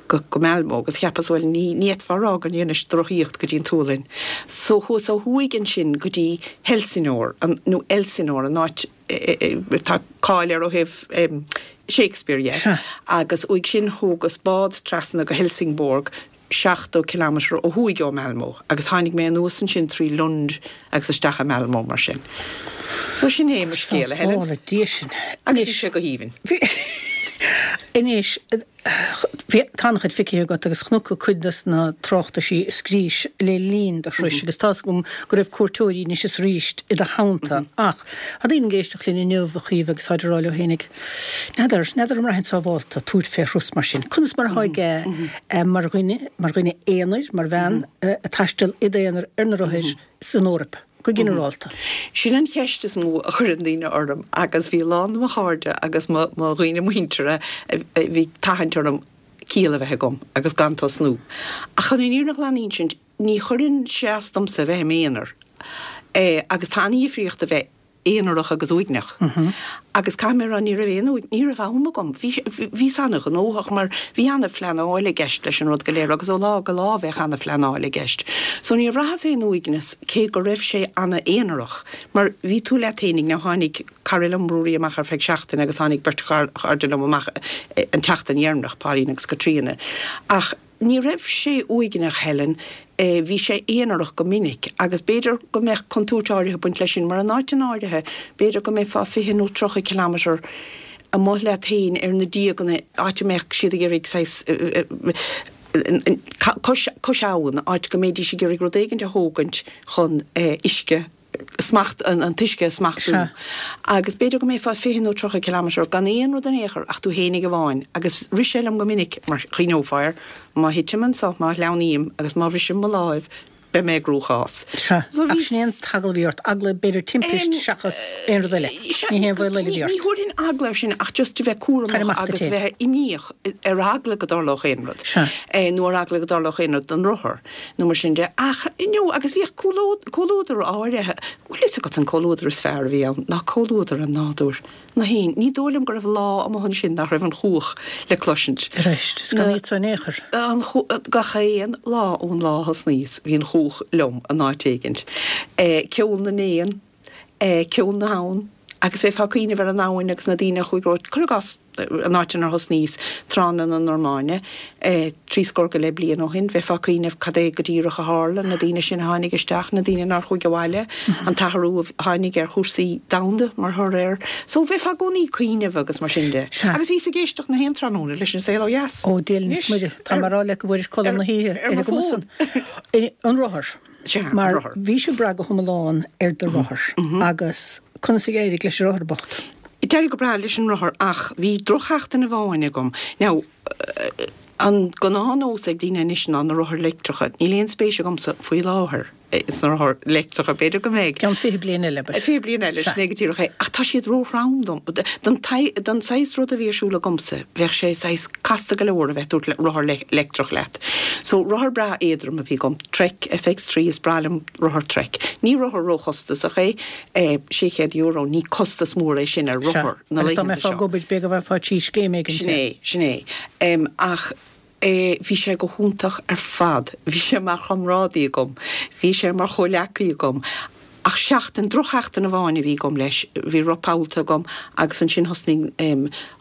go go Malmö agus cheapas, bhuel, ní ní fhéadfá a rá go ndeinis rothaíocht go dtí an tSualainn. So chuas ó thuaidh ansin go dtí Helsingør, an, nó Elsinore, an áit atá cáil air ó thaobh Shakespeare dhe. Agus uaidh sin thógas bád trasna go Helsingborg, seachtó kilometre ó thuaidh ó Malmö agus tháinig mé anuas ansin trí Lund agus isteach i Malmö mar sin. So sin é mo scéal, a Helen.
Sábhála Dia sinn.
Agus bhí sé go haoibhinn.
Anois, bhí, tá an-chuid feicthe agat agus chonac cuid de na tráchtaisí a scrís le linn do thurais agus tá's agam go raibh cuairteoirí anois is arís i do theannta ach tá daoine ag éisteacht linn inniu, a Chaoimhe, agus táid ag rá leo fhéinig, N'fheadar, n'fheadar an mbraithfinn sábhálta tabhairt fé thuras mar sin. Conas mar atá aige mar dhuine, mar dhuine aonair, mar bhean ag taisteal i d'aonar ar na rothair san Eoraip, go ginearálta?
Sin an cheist is mó a chuireann daoine orm agus bhí a lán de mo chairde agus mo dhaoine muinteartha a bhí ag tathant orm ciall a bheith agam agus gan tosnú. Ach chun an fhírinne ghlan a insint, ní chuireann sé as domsa a bheith i m'aonar agus tá an-dhifríocht a bheith aonarach agus uaigneach. Agus caithfidh mé a rá, ní raibh aon, ní raibh am agam. Bhí, bhíos an-ghnóthach mar bhí an-phleanáil i gceist leis an rud go léir agus ó lá go lá bheadh an-phleanáil i gceist. So níor bhraitheas aon uaigneas cé go raibh sé an-aonarach mar bhí tú leat fhéinig, now tháinig cara liom, Ruairí, amach ar feadh seachtaine agus tháinig beirt chairde liom amach an tseachtain dheireanach, Pauline agus Caitríona. Ach. Ní raibh sé uaigneach, Helen, bhí sé aonarach go minic agus b'fhéidir go mbeadh contúirt áirithe ag baint leis sin mar in áiteanna áirithe b'fhéidir go mbeifeá fiche nó tríocha kilometre amuigh leat féin ar na díoganna, áit a mbeadh siad ag iarraidh saghas cois cois abhann, áit go mbeidís ag iarraidh rud éigin a thógaint chun uisce smacht, an t-uisce a smachtú. Agus b'fhéidir go mbeifeá fiche nó tríocha kilometre gan aon rud in aon chor ach tú fhéinig amháin. Agus rith sé liom go minic, mar chuimhneofá air, má thitim anso, má shleamhnaím agus má bhrisim mo láimh, beidh mé i gcruachás.
Sea, ach sin é an t-eagla a bhí ort, eagla b'fhéidir timpist seachas aon rud eile. Ní haon bhaol eile a bhí ort.
Ní thabharfainn eagla air sin ach just a bheith cúramach agus bheith imníoch ar eagla go dtarlódh aon rud. Nó ar eagla go dtarlódh aon rud don rothar nó mar sin de. Ach, you know, agus bhíodh comhluadar áirithe, bhfuil fhios agat an comhluadar is fearr a bhí ann ná comhluadar an nádúir. Na héin. Ní dóigh liom go raibh lá amuigh ansin nach raibh an chuach le cloisint.
Arís, is gan iad so in aon chor.
An Gach aon lá ón lá a thosnaíos bhí an chuach liom in áit éigint. Ceol na n-éan, ceol na habhann, agus bheifeá ag cuimhneamh ar an abhainn agus na daoine a chuaigh romhat, cuir i gcás, an áit inar thosnaíos, tránna na Normainne, trí scór go leith bliain ó shin, bheifeá ag cuimhneamh cad é go díreach a tharla, na daoine sin a tháinig isteach, na daoine nár chuaigh abhaile, an t-athrú a tháinig ar chúrsaí domhanda mar thoradh air. So, bheifeá i gcónaí ag cuimhneamh agus mar sin de. Agus bhíos ag éisteacht na haon tráthnóna leis An Saol Ó Dheas.
Ó, Dia linn is Muire, tá mé ag rá leat go bhfuairis codladh na hoíche ar an gcuma san. An rothar. Mar bhí sibh ag brath go hiomlán ar do rothar agus conas a d'éirigh leis an rothar bocht?
D'éirigh go breá leis an rothar ach bhí drochsheachtain amháin agam. Now, an gnáthnós ag daoine anois ná na rothair leictreacha. Níl aon spéis agamsa faoi láthair sna rothair leictreacha, b'fhéidir go mbeidh.
Ceann fiche bliain eile, abair.
Fiche bliain eile, sin é go díreach é. Ach tá siad róthrom dom. Don don saghas rud a bhí ar siúl agamsa, bheadh sé saghas casta go leor a bheith ag tabhairt rothar leictreach leat. So, rothar breá éadrom a bhí agam, Trek F X trí, is breá liom rothar Trek. Ní rothar róchostasach é, sé chéad euro, ní costas mór é sin ar rothar
na laethanta seo. Agus dá mbeifeá ag obair, b'fhéidir go bhfaighfeá trí scéim éigin.
Sin é, sin é. Ach bhí sé go hiontach ar fad, bhí sé mar chomrádaí agam, bhí sé mar chomhleacaí agam. Ach seachtain, drochsheachtain amháin a bhí agam leis, bhí roth pollta agam agus ansin thosnaigh,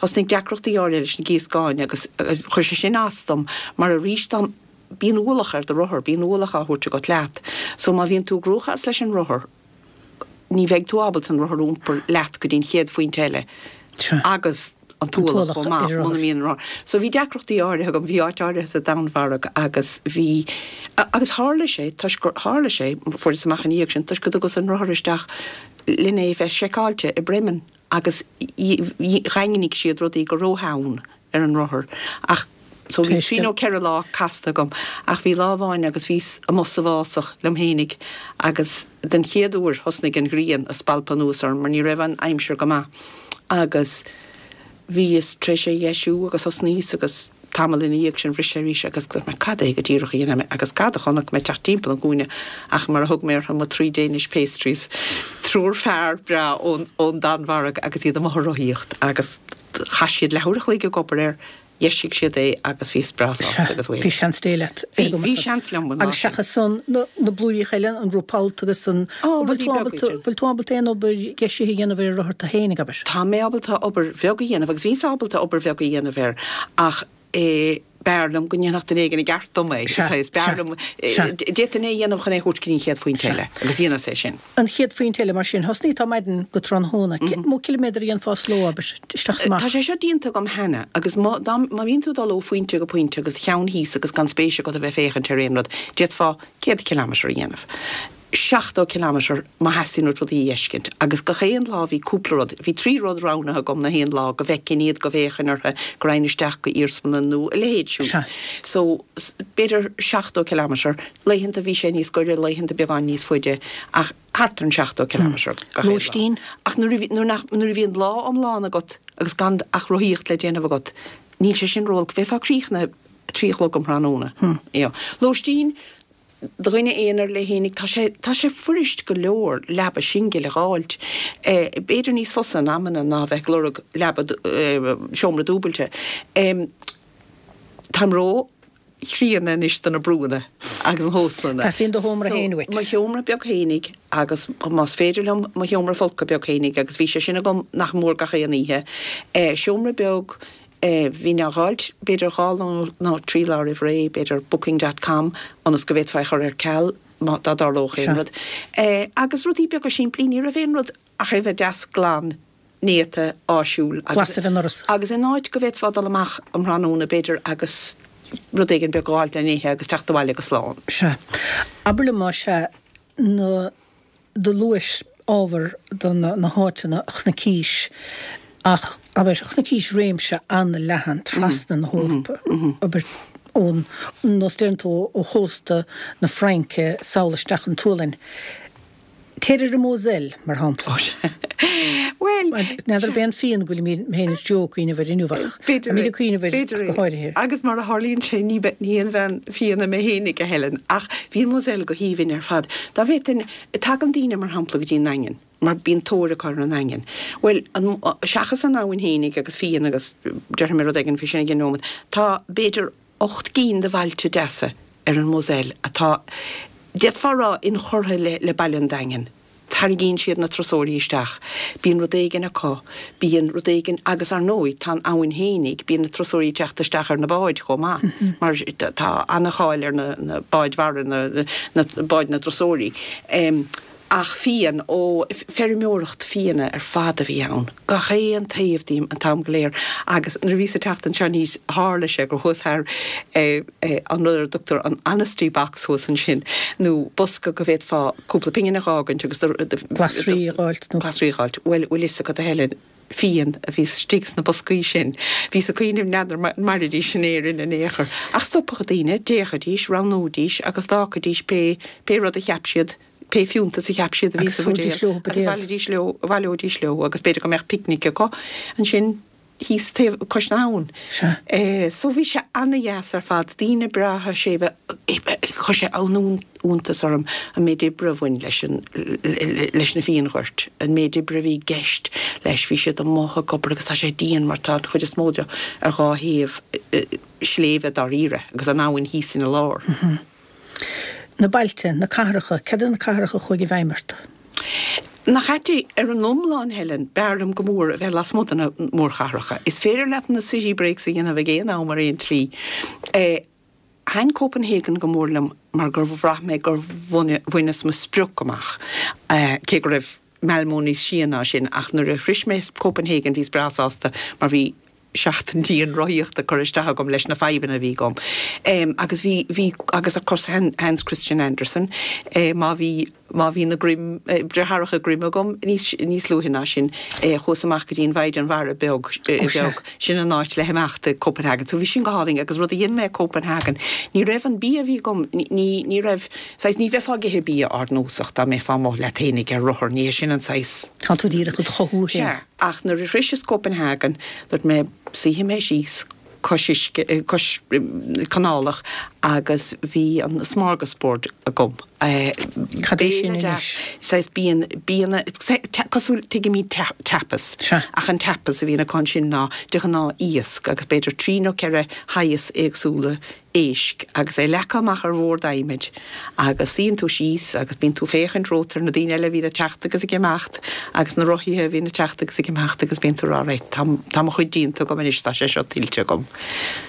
thosnaigh deacrachtaí áirithe leis na gíoscáin agus chuir sé sin as dom mar arís dá, bíonn ualach ar do rothar, bíonn ualach á thabhairt agat leat. So má bhíonn tú i gcruachás leis an rothar, ní bheidh tú ábalta an rothar a iompar leat go dtí an chéad phointe eile agus an t-ualach chomh maith muna mbíonn an rothar. So bhí deacrachtaí áirithe agam, bhí áit áirithe sa Danmhairg agus bhí, agus tharla sé, toisc gur, tharla sé, fuaireas amach ina dhiaidh sin, toisc go dtugas an rothar isteach lena é bheith seiceáilte i Bremen agus dhaingnigh siad rudaí go rótheann ar an rothar ach so bhí trí nó ceithre lá casta agam ach bhí lá amháin agus bhíos amuigh sa bhfásach liom fhéinig agus den chéad uair thosnaigh an ghrian a spalpadh anuas orm mar ní raibh an aimsir go maith agus bhíos tar éis é a dheisiú agus thosnaíos agus tamall ina dhiaidh sin bhris sé arís agus dúirt mé cad é go díreach a dhéanfaidh mé agus cad a chonaic mé teacht timpeall an chúinne ach mar a thug mé orthu mo three Danish pastries, triúr fear breá ón ón Danmhairg agus iad amuigh ag rothaíocht agus chaith siad leathuair a chloig ag obair air, dheisigh siad é agus bhíos breá sásta agus
bhí seans Dé leat.
Bhí, bhí seans liom
an lá Agus seachas san, na, na blúiríocha eile, an roth pollta agus an, bhfuil tú ábalta, bhfuil tú ábalta aon obair dheisithe a dhéanamh ar an rothar tú fhéinig, abair?
Tá mé ábalta obair bheag a dhéanamh agus bhíos ábalta obair bheag a dhéanamh air ach eh, b'fhearr liom go ndéanfadh duine éigin i gceart dom é, saghas, b'fhearr liom, d'fhéadfainn é a dhéanamh chun é a thabhairt go dtí an chéad phointe eile agus dhéanas é sin.
An chéad phointe eile mar sin, thosnaigh tú maidin go tráthnóna, cé mó ciliméadar a dhéanfá sa ló, abair, isteach is amach?
Tá sé seo déanta agam cheana agus má, dá, má bhíonn tú ag dul ó phointe go pointe agus do cheann thíos agus gan spéis agat a bheith ag féachaint ar aon rud, d'fhéadfá céad ciliméadar a dhéanamh. seachtó ciliméadar má theastaíonn uait rudaí a fheiscint. Agus gach aon lá bhí cúpla rud, bhí trí rud roghnaithe agam na haon lá, go bhfeicfinn iad, go bhféachfainn orthu, go raghainn isteach go iarsmalann nó a leithéid siúd.
Sea.
So, b'fhéidir seachtó ciliméadar. Laethanta bhí sé níos gaire, laethanta beagán níos faide, ach thart ar an seachtó ciliméadar gach aon lá.
Lóistín?
Ach nuair a bhí, nuair nach, nuair a bhíonn lá iomlán agat agus gan ach rothaíocht le déanamh agat, níl sé sin ró-olc, bheifeá críochnaithe a trí a chlog um thráthnóna. You know. Lóistín? Do dhuine aonair le fhéinig, tá sé, tá sé fuirist go leor leaba singil a dh'fháilt. B'fhéidir níos fusa in amanna ná a bheith ag lorg leaba, seomra dúbailte. Táim ró-chríonna anois do na brúnna agus na hóstlanna.
Teastaíonn do sheomra féin uait.
So, mo sheomra beag fhéinig agus más féidir liom mo sheomra folctha beag fhéinig agus bhí sé sin agam nach mór gach aon oíche. Seomra beag, Bhínn á dh'fháilt b'fhéidir dhá lá nó trí lá roimh ré, b'fhéidir booking dot com, ionas go bhféadfá é a chur ar ceal má dá dtarlódh aon rud. Agus rudaí beaga simplí, ní raibh aon rud ach é bheith deas glan, néata, áisiúil
agus. Glas ar an ndoras.
Agus in áit go bhféadfá dul amach um thráthnóna b'fhéidir agus rud éigin beag a dh'fháilt le n-ithe agus teacht abhaile go slán.
Sea. Abair liom más ea na. Do luais ábhar do na háiteanna Chnoc Ís ach, abair, Chnoc Ís réimse an-leathan trasna na hEorpa, abair, ón, nós deireann tú, ó chósta na Fraince sall isteach an tSualainn. Téir ar an Moselle, mar shampla.
Ó sea. Bhuel,
N'fheadar ab é an fíon go bhfuil mé féin is Joe ag cuimhneamh air inniu ach
B'fhéidir
táimid ag cuimhneamh air
B'fhéidir
go háirithe.
Agus mar a tharlaíonn sé, ní ní haon bhean fíona mé fhéinig, a Helen, ach bhí an Moselle go haoibhinn ar fad. Dá bhféadfainn, tagann daoine, mar shampla, go dtí an nDaingean, mar bíonn tóir acu ar an nDaingean. Bhuel, an, seachas an abhainn fhéinig agus fíon agus déarfaidh mé rud éigin faoi sin i gcionn nóiméad, tá b'fhéidir ocht gcinn de bhailte deasa ar an Moselle atá, d'fhéadfá a rá, inchurtha le baile an Daingin. Tarraingíonn siad na turasóirí isteach. Bíonn rud éigin acu. Bíonn rud éigin, agus ar ndóigh, tá an abhainn fhéinig, bíonn na turasóirí ag teacht isteach ar na báid chomh maith, mar tá an-cháil ar na báid mhara, na báid na dturasóirí. Ach fíon, ó, feirmeoireacht fíona ar fad a bhí ann, gach aon taobh díom an t-am go léir. Agus nuair a bhíos ag teacht anseo aníos, tharla sé gur chuas thar an rud ar a dtugtar an honesty box thuas ansin, nó bosca go bhféadfá cúpla pingin a dh'fhágaint agus do.
Glasraí a dh'fháilt
nó. Glasraí a dh'fháilt. Bhuel, bhfuil fhios agat, a Helen, fíon a bhí istigh sna boscaí sin. Bhíos ag cuimhneamh, n'fheadar an mairfidís in Éirinn in aon chor. Ach stopadh daoine, d'fhéachaidís, roghnóidís agus d'fhágfaidís pé, pé rud a cheap siad, pé fiúntas a cheap siad a bhí
Agus
sa
thabharfaidís
bhuidéal
leo
agus
buidéal.
bhailidís leo, bhaileoidís leo agus b'fhéidir go mbeadh picnic acu ansin thíos taobh, cois na habhann.
Sea.
Eh, so bhí sé ana-dheas ar fad, daoine breátha séimhe, chuir sé an-iontas orm an méid oibre a bhain leis an, leis na fíonghoirt, an méid oibre a bhí i gceist leis, bhí siad amuigh ag obair agus tá sé dian mar tá an chuid is mó de ar dhá thaobh sléibhe dáiríre agus an abhainn thíos ina lár.
Na bailte, na cathracha, céard iad na cathracha a chuaigh i bhfeidhm ort?
Nach ait é, ar an iomlán, Helen, b'fhearr liom go mór a bheith lasmuigh de na mórchathracha. Is féidir leat na city breaks a dhéanamh ag aon am ar aon tslí. Thaitin Copenhagen go mór liom mar gur bhraith mé gur bhaineas mo sprioc amach, cé go raibh Malmö níos sia ná sin, ach nuair a shrois mé Copenhagen bhíos breá sásta mar bhí seachtain dian rothaíochta curtha isteach agam leis na fadhbanna a bhí agam. Agus bhí, bhí, agus of course Hans Christian Andersen, má bhí, má bhí na Grimm, deartháireacha Grimm agam níos, níos luaithe ná sin, chuas amach go dtí an Mhaighdean Mhara beag, beag, sin an áit le himeacht i Copenhagen. So bhí sin go hálainn agus rud a dhein mé i Copenhagen, ní raibh an bia a bhí agam, ní, ní raibh, saghas, ní bheifeá ag ithe bia ardnósach dá mbeifeá amuigh leat fhéinig ar rothar, ní hé sin an saghas.
Tá tú díreach ag do chothú féin.
Sea. Ach nuair a shroiseas Copenhagen, dúirt mé, suífidh mé síos cois uisce, cois canálach agus bhí an smorgasbord agam.
Cad é sin
Béile deas,
anois?
saghas bíonn, bianna, cosúil, tuigimid tapas,
Sea.
ach an tapas a bhíonn acu ansin ná de ghnáth iasc agus b'fhéidir trí nó ceithre shaghas éagsúla éisc agus é leagtha amach ar bhord adhmaid agus suíonn tú síos agus bíonn tú féachaint romhat ar na daoine eile a bhíonn ag teacht agus ag imeacht agus na rothaithe a bhíonn ag teacht agus ag imeacht agus bíonn tú ag rá right tá tá mo chuid déanta agam anois tá sé seo tuillte agam.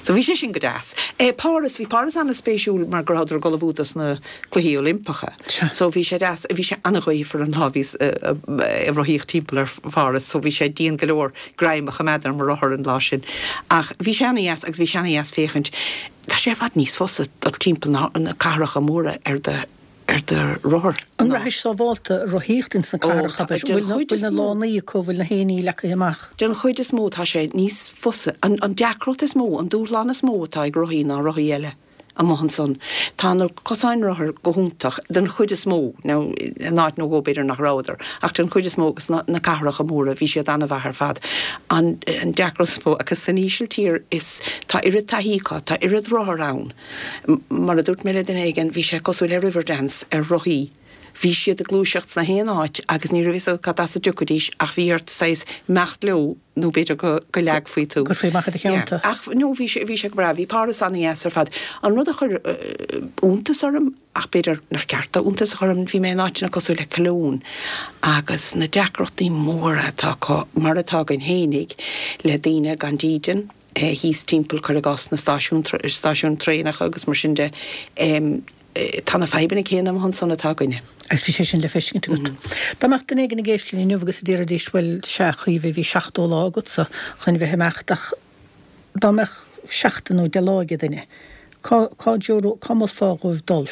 So bhí sé sin go deas. Eh Páras, bhí Páras an-spéisiúil mar go rabhadar ag ullmhú dos na Cluichí Oilimpeacha. So bhí sé deas, bhí sé an-ghaofar an lá a bhíos ag rothaíocht timpeall ar Pháras so bhí sé dian go leor greim a choimeád ar mo rothar an lá sin. Ach bhí sé ana-dheas agus bhí sé ana-dheas féachaint, tá sé i bhfad níos fusa dul timpeall na na cathracha móra ar do ar do rothar
An
ná.
rachaidh sábhálta rothaíocht ins na
Ó,
cathracha,
tá,
abair?
den
Bhfuil na
chuid
bhfuil
is
na
mó.
lánaí acu, bhfuil na haonaí leagtha amach?
Den chuid is mó tá sé níos fusa. An an deacracht is mó, an dúshlán is mó atá ag rothaí ná rothaí eile amuigh ansan. Tá na cosáin rothar go hiontach, den chuid is mó, now in áit nó dhó b'fhéidir nach rabhadar, ach den chuid is mó agus na na cathracha móra bhí siad an-mhaith ar fad. An an deacracht is mó, agus san Ísiltír is tá oiread taithí acu, tá oiread rothar ann. Mar a dúirt mé le duine éigin, bhí sé cosúil le Riverdance ar rothaí. Bhí siad ag gluaiseacht sna haon áit agus ní raibh fhios agat cad as a dtiocfaidís ach bhí ort saghas imeacht leo nó b'fhéidir go go leagfaí tú.
Go gcuirfí amach i do
Yeah.
theannta.
Ach no bhí sé bhí sé go breá, bhí Páras an-dheas ar fad. An rud a chuir iontas orm, ach b'fhéidir nár cheart dó iontas a chur orm, bhí mé in áiteanna cosúil le Cologne agus na deacrachtaí móra atá acu, mar atá againn fhéinig, le daoine gan dídean, thíos timpeall, cuir i gcás, na stáisiúin stáisiúin traenacha agus mar sin de. Tá na fadhbanna céanna amuigh ansan atá againne.
Agus bhí sé sin le feiscint agat. Dá mbeadh duine éigin ag éisteacht linn inniu agus a déarfaidís, bhuel, sea, a Chaoimhe, bhí seachtó lá agatsa chun bheith ag imeacht ach dá mbeadh seachtain nó deich lá ag duine, cá, cá dtreoró, cá molfá dhóibh dul?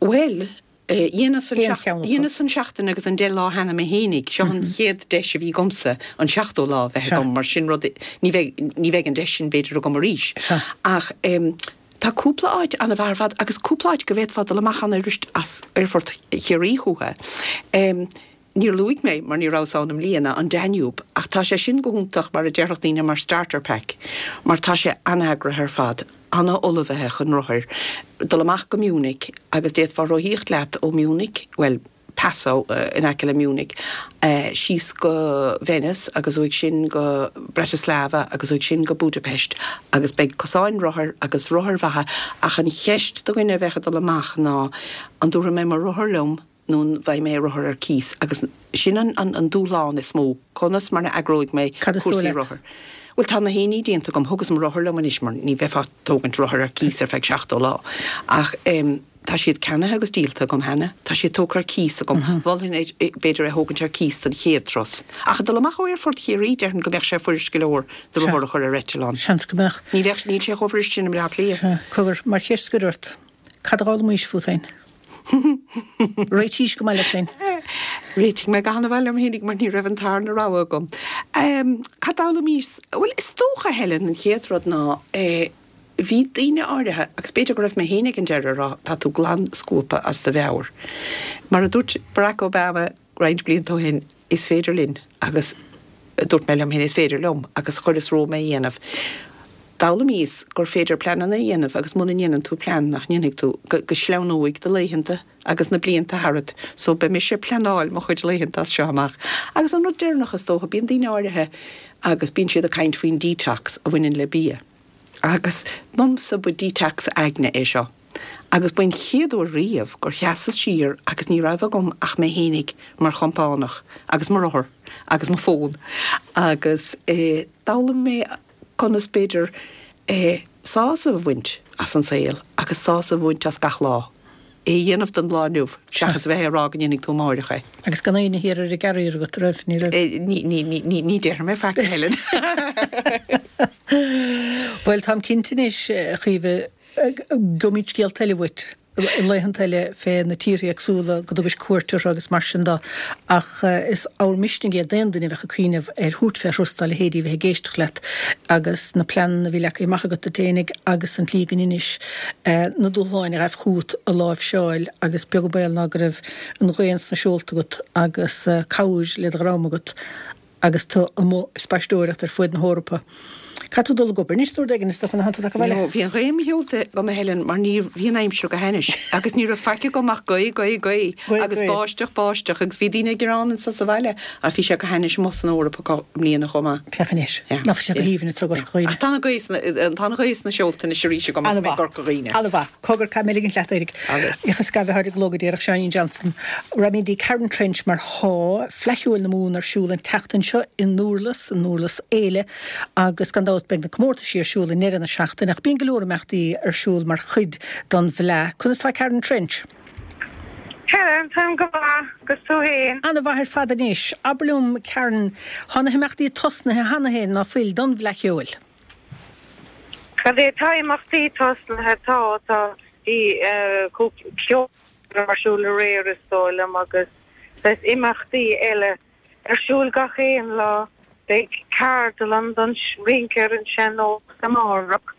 Bhuel, dheineas an
Aon cheann acu.
dheineas an seachtain agus an deich lá cheana mé fhéinig. Seo an chéad deis a bhí agamsa an seachtó lá a bheith
Sea.
agam, mar sin rud, ní bheidh, ní bheidh an deis sin b'fhéidir agam arís.
Sea.
Ach, tá cúpla áit an-mhaith ar fad agus cúpla áit go bhféadfá dul amach ann arís as Aerfort Chiarraí chucu. Níor luaigh mé, mar ní rabhas ann i mbliana, an Danube, ach tá sé sin go hiontach mar a déarfadh daoine mar starter pack, mar tá sé an-eagraithe ar fad, an-ullmhaithe chun rothair, dul amach go Munich agus d'fhéadfá rothaíocht leat ó Munich, bhuel, Passau in aice le Munich, síos go Venice agus uaidh sin go Bratislava agus uaidh sin go Budapest agus beidh cosáin rothair agus rothair mhaithe ach an cheist do dhuine a bheadh ag dul amach ná an dtabharfaidh mé mo rothar liom nó an bhfaighidh mé rothar ar cíos agus sin an an dúshlán is mó, conas mar a eagróidh mé
Cad is dóigh
cúrsaí
leat?
rothar. Bhuel tá na haonaí déanta agam, thugas mo rothar liom anois mar ní bheifeá ag tógaint rothar ar cíos ar feadh seachtó lá ach em tá siad ceannaithe agus díolta agam cheana, tá siad tógtha ar cíos agam, mholfainn é b'fhéidir é a thógaint ar cíos don chéad turas. Ach ag dul amach ó Aerfort Chiarraí déarfainn go mbeadh sé fuirist go leor do
Sea.
rothar a chur ar eitleán.
Seans go mbeadh.
Ní bheadh, níl sé chomh fuirist sin i mBleá Cliath.
Sea. Cogar, mar cheist scoir ort, cad a d'fhoghlaimís fút féin? Réitís go maith leat féin.
Réitigh mé go han-mhaith liom fhéinig mar ní raibh an tarna rogha agam. Cad d'fhoghlaimíos? Bhuel, is dócha, Helen, an chéad rud ná bhí daoine áirithe, agus b'fhéidir go raibh mé féin ag an deireadh, a rá tá tú glan scuabtha as do mheabhair. Mar a dúirt Barack Obama roinnt blianta ó shin, is féidir linn agus dúirt mé liom féin, is féidir liom agus chuireas romham é a dhéanamh. D'fhoghlaimíos gur féidir pleananna a dhéanamh agus muna ndéanann tú plean nach ndéanfaidh tú, go go sleamhnóidh do laethanta agus na blianta tharat. So beidh mise ag pleanáil mo chuid laethanta as seo amach. Agus an rud deireanach is dócha, bíonn daoine áirithe agus bíonn siad ag caint faoin detox a bhaineann le bia. Agus domsa ba detox aigne é seo. Agus ba an chéad uair riamh gur sheasas siar agus ní raibh agam ach mé fhéinig mar chompánach agus mo rothar agus mo fón. Agus eh d'fhoghlaim mé conas b'fhéidir sásamh a bhaint as an saol agus sásamh a bhaint as gach lá, é a dhéanamh don lá inniu seachas a bheith ag rá go ndéanfaidh tú amáireach é.
Agus gan éinne thiar ag gearradh agat, raibh? Ní raibh?
Ní, ní, ní, ní, ní déarfaidh mé faic, a Helen.
Bhuel, táim cinnte anois, a Chaoimhe, gheobhaimid scéalta eile uait. i laethanta eile fé na tíortha éagsúla go dtugais cuairt orthu agus mar sin de ach is ábhar misnigh é d'aon duine a bheadh ag cuimhneamh ar thabhairt fé thuras dá leithéidí a bheith ag éisteacht leat agus na pleananna a bhí leagtha amach agat duit fhéinig agus an tslí go ndeinis na dúshláin a ghaibh chugat a láimhseáil agus beag an baol ná go raibh an ghaoth sna seolta agat agus cabhair le do dhroim agat agus tú amuigh ag spaisteoireacht ar fuaid na hEorpa. Caithfidh tú dul ag obair anois nó rud éigin is dócha, nach bhfuil tú ag baile?
No, bhí an ghaoth i mo sheolta agam a Helen mar ní bhí an aimsir go hainnis agus ní raibh faic agam ach gaoth, gaoth, gaoth agus báisteach, báisteach agus bhí daoine ag gearán anso sa bhaile ach bhí sé go hainnis amuigh san Eoraip acu i mbliana chomh maith.
Féach anois, nach bhfuil sé go haoibhinn anso i gCorca Dhuibhne.
Ach tá an ghaoth sna, tá an ghaoth sna seolta anois arís agam agus mé i gCorca Dhuibhne.
An-mhaith. Cogar, caithfidh mé ligint leat, éirigh. Bhíodh scaimh a tháinig go díreach Seáinín Johnson. Raghaimid go dtí Karen Trench mar thá Fleadh Cheoil na Mumhan ar siúl an tseachtain seo i nDurlas, i nDurlas Éile, agus gan dabht beidh na comórtaisí ar siúl i ndeireadh na seachtaine, ach bíonn go leor imeachtaí ar siúl mar chuid don bhFleadh. Conas tá Karen Trench?
Helen, táim go maith, agus tú fhéin?
Ana-mhaith ar fad anois. Abair liom, Karen, thá na himeachtaí tosnaithe cheana fhéin, ná fuil, don bhFleadh Cheoil?
Cad é, tá imeachtaí tosnaithe, tá, tá, bhí cúpla ceolchoirm ar siúl aréir is dóigh liom agus beidh imeachtaí eile ar siúl gach aon lá. Beidh ceardlann don rince ar an sean-nós amárach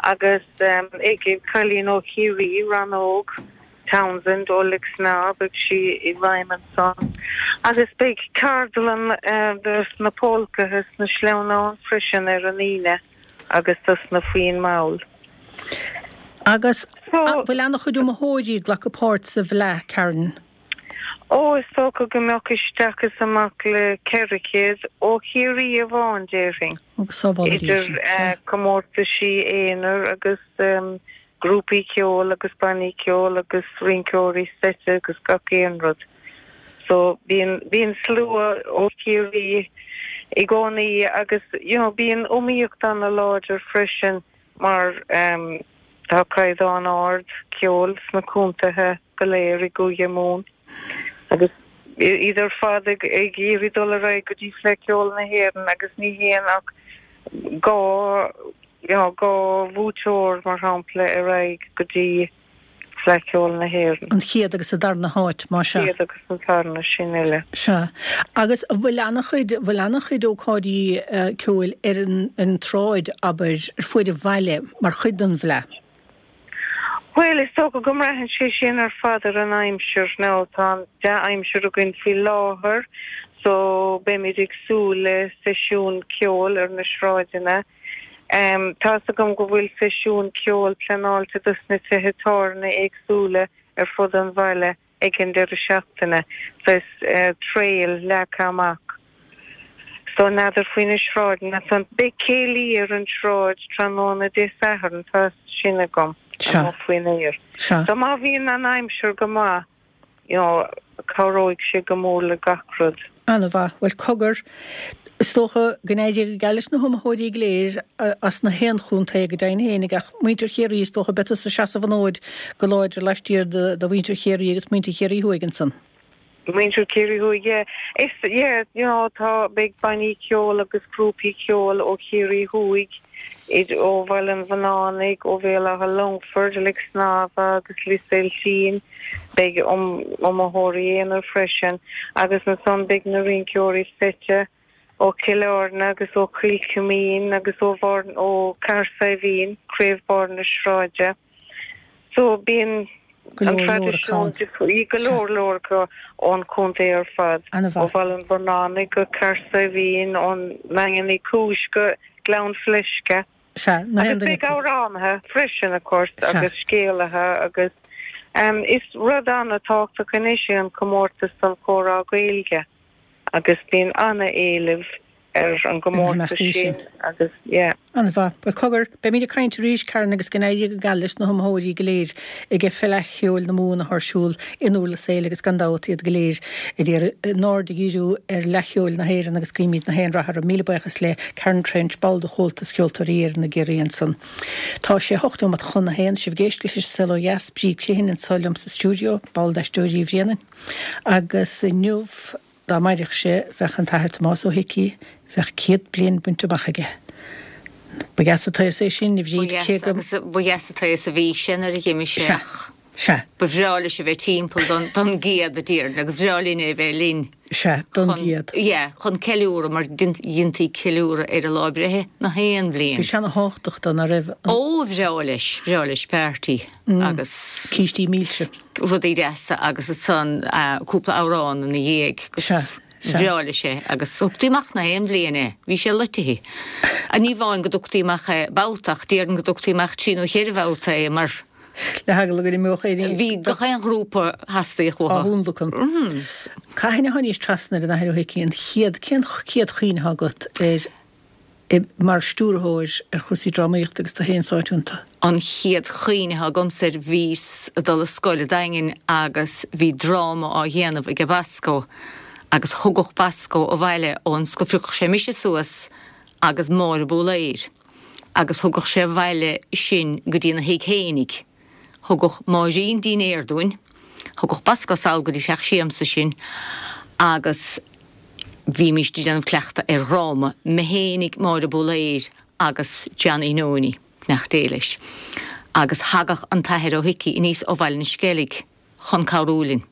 agus ag Cailín ó Chiarraí, Rannóg Townsend ó Lixnaw, beidh sí i bhfeidhm ansan. Agus beidh ceardlann dos na polcaithe sna sleamhnáin freisin ar an Aoine agus dos na foinn mhall.
Agus an bhfuil ana-chuid iomaitheoirí ag glacadh páirt sa bhFleadh, Karen?
Ó, is dócha go mbeadh isteach is amach le ceithre chéad, ó Chiarraí amháin, déarfainn,
Ó, go sábhála Dia
idir
sinn, sea.
comórtaisí aonair agus grúpaí ceoil agus bannaí ceoil agus rinceoirí seite agus gach aon rud. So, bíonn, bíonn slua ó Chiarraí i gcónaí agus, you know, bíonn iomaíocht ana-láidir freisin mar tá caighdeán ard ceoil sna contaetha go léir i gCúige Mumhan agus iad ar fad ag iarraidh dul ar aghaidh go dtí Fleadh Cheoil na hÉireann agus ní théann ach dhá you know dhá bhuaiteoir mar shampla ar aghaidh go dtí Fleadh Cheoil na hÉireann.
An chéad agus an darna háit, más ea.
Chéad agus an tarna, sin uile.
Sea. Agus an bhfuil ana-chuid, bhfuil ana-chuid ócáidí ceoil ar an, ar an tsráid, abair, ar fuaid an bhaile mar chuid den bhFleadh?
Bhuel, is dócha go mbraitheann sé sin ar fad ar an aimsir. Now tá an dea-aimsir againn faoi láthair so beimid ag súil le seisiún ceoil ar na sráideanna. Um, tá's agam go bhfuil seisiún ceoil pleanáilte dos na tithe tábhairne éagsúla ar fud an bhaile ag an deireadh seachtaine. Saghas uh, trail leagtha amach. So n'fheadar faoi na sráideanna san beidh céilí ar an tsráid tráthnóna Dé Sathairn tá sin agam
Sea.
faoin aer.
Sea.
So má bhíonn an aimsir go maith, you know, cabhróidh sé go mór le gach rud.
An-mhaith. Bhuel cogar, is dócha go n-éirí go geal leis na hiomaitheoirí go léir as na haon chontae go deimhin fhéinig ach muintir Chiarraí is dócha beidh tusa ag seasamh an fhóid go láidir laistiar de mhuintir Chiarraí agus muintir Chiarraí Thuaidh ansan.
Muintir Chiarraí Thuaidh, yeah. Is, yeah, you know, tá beidh bannaí ceoil agus grúpaí ceoil ó Chiarraí Thuaidh, id ó Bhaile an Bhunánaigh, ó Bhéal Átha Longfoirt, Leic Snámha agus Lios Oiltín, beidh iomaitheoirí aonair freisin, agus ansan beidh na rinceoirí seite ó Chill Airne agus ó Chill Chuimín agus ó Bharr ó Cathair Saidhbhín, Craobh Barr na Sráide. So bíonn
Go
an
leor leor
traidisiún
acu.
difriúil, go leor leor acu ón chontae ar fad, ó
An-mhaith.
Bhaile an Bhurnánaigh go Cathair Saidhbhín, ón nDaingean Uí Chúis go Gleann Fleisce.
Sea, na haon
Agus
duine
beidh
acu.
amhránaithe freisin, of course,
Sea.
agus scéalaithe agus um, is rud an-tábhachtach anois é an comórtas don chomhrá Gaeilge agus bíonn an-éileamh ar an gcomórtas
imeachtaí
sin
sin.
agus yeah.
An-mhaith. Bhuel cogar, beimid ag caint arís, Karen, agus go n-éirí go geal leis na hiomaitheoirí go léir ag Fleadh Cheoil na Mumhan atá ar siúl in Durlas Éile agus gan dabht iad go léir ag iarraidh a n-aird a dhíriú ar Fhleadh Cheoil na hÉireann agus guímid na haon rath orthu. Míle buíochas le Karen Trench, ball de Chomhaltas Ceoltóirí Éireann i gCiarraí ansan. Tá sé hocht nóiméad chun a haon, sibh ag éisteacht leis an Saol Ó Dheas, Bríd Criomhthain anseo liom sa stiúideo, ball d'Aisteoirí Uí Bhraonáin. Agus inniu, Dá mairfeadh sé, bheadh an tAthair Tomás Ó hIcí, bheadh céad bliain bainte amach aige. Ba dheas an t-aos é sin, a
Ba
Bhríd,
dheas
cé go.
agus ba dheas an t-aos a bhí sé nuair a d'imigh sé
Sea,
ach
sea.
ba bhreá leis a bheith timpeall don, don gcéad a déarfainn agus bhreá linn é a bheith linn.
Sea, don
Chun,
gcéad.
yeah, chun ceiliúradh mar dheintí ceiliúradh ar a lá breithe na haon bhliain.
Bhí sé ana-thábhachtach dó, ná raibh? An.
Ó, bhreá leis, bhreá leis party agus.
Cístí milse.
Rudaí deasa agus ansan cúpla amhrán ina dhiaidh agus
Sea, sea.
bhreá leis é agus thugtaí amach na haon bhliain é, bhí sé loitithe. Ní amháin go dtugtaí amach é babhta ach déarfainn go dtugtaí amach trí nó cheithre bhabhta é mar.
Le heagla go n-imeodh éirí.
Bhí gach aon ghrúpa theastaigh
Á
uathu.
thionlacan. Cathain a tháinís trasna ar an Athair Ó hIcí an chéad, cén chéad chuimhne atá agat air mar stiúrthóir ar chúrsaí drámaíochta agus tú féin sáite iontu?
An chéad chuimhne atá agamsa air bhíos ag dul a scoil i Daingean agus bhí dráma á dhéanamh ag Basco agus thugadh Basco abhaile ón scoil, phiocadh sé mise suas agus Máire Búlaeir agus thugadh sé abhaile sinn go dtí na thigh fhéinig. Thugadh Máirín dinnéar dúinn, thugadh Basco sall go dtí teach siamsa sinn agus bhímís ag déanamh cleachtadh ar dhráma, mé fhéinig, Máire Búlaeir agus Johnny Nonie, beannacht Dé leis. Agus thagadh an tAthair Ó hIcí aníos ó Bhaile na Sceilg chun cabhrú linn.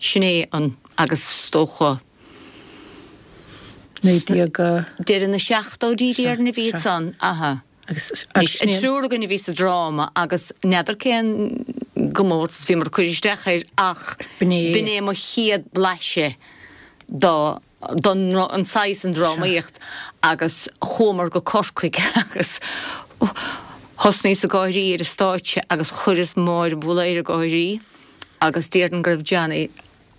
Sin é an, agus is dócha.
Naoi déag.
Deireadh na seachtóidí déarfainn a bhí ansan, aha.
Agus,
Anois, an triúr againn a bhí sa dráma agus n'fheadar cén gcomórtas bhíomar ag cur isteach air ach
B'in é.
b'in é mo chéad blaiseadh do don an saghas an drámaíocht agus chuamar go Corcaigh agus thosnaíos ag gáirí ar an stáitse agus chuireas Máire Búlaeir ag gáirí agus déarfainn go raibh Johnny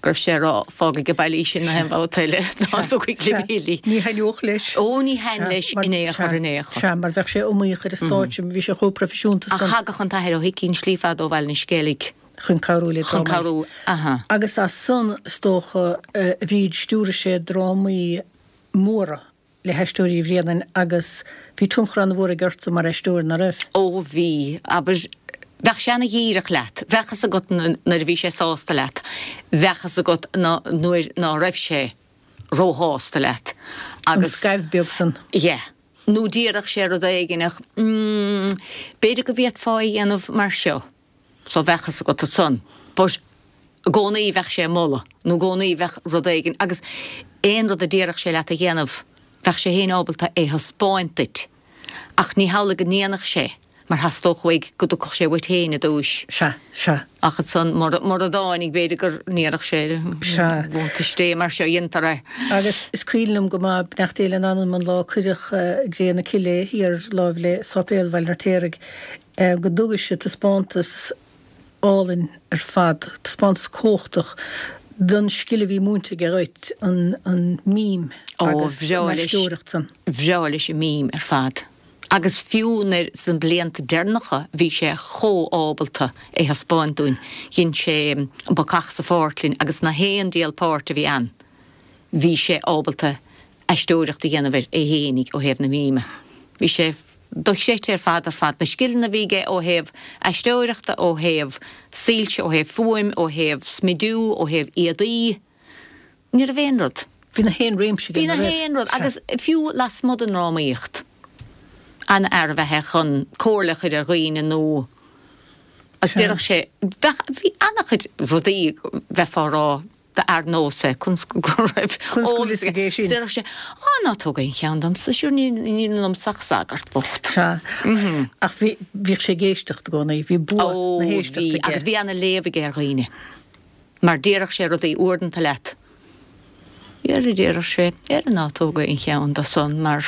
go raibh sé ag rá fág ag baile í sin na haon bhabhta eile ná dtugaigh le Billy.
Ní thaitneodh leis.
Ó ní thaitn leis in aon chor in aon chor.
Sea, mar bheadh sé iomaíoch ar an stáitse, bhí sé chomh proifisiúnta
Ach
san.
thagadh an tAthair Ó hIcí an slí fada ó Bhaile na Sceilg.
Chun cabhrú le
Chun
drámaí.
cabhrú, aha.
Agus as san, is dócha, a Bhríd, stiúraigh sé drámaí móra le hAisteoirí Uí Bhraonáin agus bhí tionchar an-mhór aige ortsa mar aisteoir, ná raibh?
Ó bhí, abair, bheadh sé ana-dhíreach leat, bheadh fhios agat nuair a bhí sé sásta leat, bheadh fhios agat nuair ná raibh sé róshásta leat
An
agus.
scaimh beag san.
Yeah. Nó déarfadh sé rud éigin ach, mm, b'fhéidir go bhféadfá é a dhéanamh mar seo. So bheadh fhios agat ansan. But i gcónaí bheadh sé ag moladh, nó i gcónaí bheadh rud éigin, agus aon rud a déarfadh sé leat a dhéanamh, bheadh sé féin ábalta é thaispeáint duit. Ach ní hamhlaidh go ndéanfadh sé, Mar theastódh uaidh go dtiocfadh sé uait féin i dtúis.
Sea, sea.
Ach ansan, mura, mura dtáinig, b'fhéidir go ndéarfadh sé,
Sea.
Bhuntáiste Dé, mar seo a dhéantar é.
Agus is cuimhin liom go maith, beannacht Dé lena anam, an lá a cuireadh i gcré na cille é, thiar láimh le Sáipéal Bhaile an Fheirtéaraigh, go dtugais taispeántas álainn ar fad, taispeántas cumhachtach don scil a bhí múinte aige dhuit, an, an mím
Ó,
agus an
bhreá leis,
aisteoireacht san.
bhreá leis an mím ar fad. Agus fiú nuair sna blianta deireanacha bhí sé chomh ábalta é thaispeáint dúinn. Dhein sé An Bacach sa Pháirc linn agus na haon diabhal páirt a bhí ann bhí sé ábalta aisteoireacht a dhéanamh air é fhéinig ó thaobh na míme. Bhí sé dochreidte ar fad ar fad. Na scileanna a bhí aige ó thaobh aisteoireachta, ó thaobh soilse, ó thaobh fuaim, ó thaobh smidiú, ó thaobh éadaí. Ní raibh aon rud.
Bhí na haon réimse aige,
Bhí
ná
na
raibh?
haon rud.
Sea.
Agus fiú lasmuigh den ndrámaíocht, an-fhear ab ea é chun comhairle a chur ar dhaoine nó agus
Sea.
déarfadh sé, bheadh, bhí an-chuid rudaí bheifeá a rá, ba fhear nós é, conas go raibh
Conas go bhfuil
eolas
fhios
aige.
aige é sin?
Déarfadh sé, Á, ná tóg aon cheann domsa, sure níl níl ionamsa ach sagart bocht.
Sea. Ach bhí, bhíodh sé ag éisteacht i gcónaí, bhí bua
Ó,
na
bhí,
héisteachta aige.
agus bhí ana-léamh aige ar dhaoine. Mar déarfadh sé rudaí uaireanta leat. Dhera, déarfadh sé, dhera ná tóg aon cheann de san mar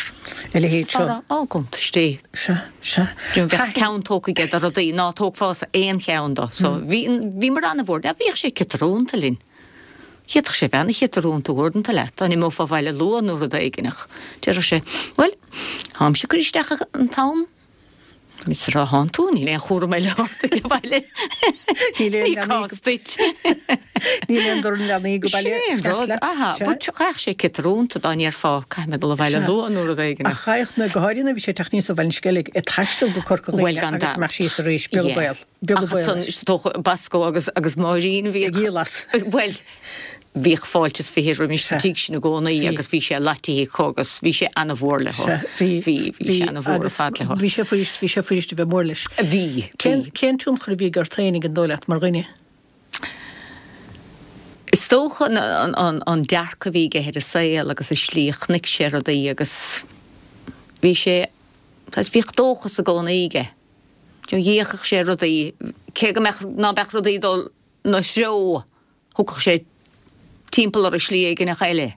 A leithéid seo.
Ara, á, cuntas Dé.
Sea, sea.
Bheadh ceann tógtha aige de rudaí ná tógfása aon cheann de. So bhí, bhíomar ana-mhór. Now bhíodh sé ciotrúnta linn. D'fhéadfadh sé bheith ana-chiotrúnta uaireanta leat, dá n-imeofá abhaile luath nó rud éigin ach déarfadh sé, bhuel, táimse ag cur isteach an t-am. Is rá thánn tú, níl aon chúram eile ort ag abhaile.
Níl aon
Ní
leanaí
cás duit.
Níl aon dorn leanaí go baile
Sin é an
fanacht
rud,
leat.
aha,
Sea.
but gheadh sé ciotrúnta dá ndéarfá caithfidh mé dul abhaile
Sea.
luath nó rud éigin
Ach
ach.
chaith na, go háirithe nuair a bhí sé ag teacht aníos ó Bhaile an Sceilg, ag taisteal go Corca
Bhuel
Dhuibhne
gan
agus
dabht.
amach síos arís, beag an
Yeah.
baol, beag an
Ach
baol
ansan,
leis.
is dócha Bosco agus agus Máirín a bhíodh.
Ag díol as.
Bhuel, bhíodh fáilte is fiche roimis sa
Sea.
tigh sin i gcónaí
Bhí.
agus bhí sé laitithe acu agus bhí sé ana-mhór leo.
Sea, bhí,
Bhí, bhí sé ana-mhór ar
agus
fad leo.
Bhí sé fuirist, bhí sé fuirist a bheith mór leis.
Bhí,
Cén,
bhí.
cén tionchar a bhí aige ort féinig an dóigh leat mar dhuine?
Is dócha an, an, an, an dearcadh a bhí aige ar an saol agus an slí a chonaic sé rudaí agus bhí sé, agus bhíodh dóchas i gcónaí aige. D'fhéachadh sé rudaí, cé go mbeadh, ná beadh rudaí ag dul ina threo, thiocfadh sé timpeall orthu slí éigineach eile.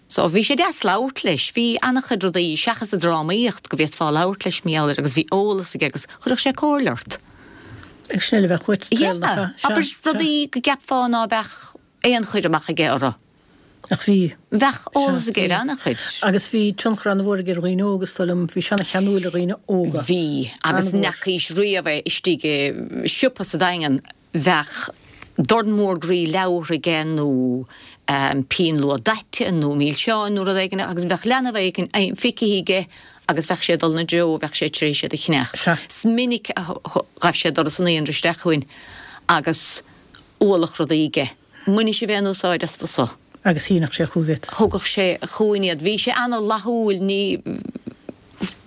So bhí sé deas labhairt leis, bhí an-chuid rudaí seachas an drámaíocht go bhféadfá labhairt leis mar gheall air agus bhí eolas aige agus chuirfeadh sé comhairle ort.
Ag sin eile bheith chuit
Yeah,
saol nach ea? Sea,
abair
sea.
rudaí go gceapfá ná beadh aon chur amach aige orthu.
Ach bhí.
Bheadh eolas
Sea,
aige ar
bhí.
an-chuid.
Agus bhí tionchar an-mhór aige ar dhaoine óga, is dóigh liom, bhí sé ana-cheanúil ar dhaoine óga.
Bhí, agus
An-mhór.
n'fheacaís riamh é istigh i siopa sa Daingean, bheadh dorn mór groí leabhar aige nó pinn luath daite nó milseáin nó rud éigin agus bheadh leanbh éigin feicthe aige agus bheadh sé ag dul ina dtreo, bheadh sé tar éis iad a cheannach.
Sea.
Is minic a ghabh sé doras an naíonra isteach chugainn agus ualach rudaí aige. Mbainfidh sibh aon úsáid astu so?
Agus shínfeadh sé chugaibh iad.
Thugadh sé chugainn iad. Bhí sé ana-fhlaithiúil, ní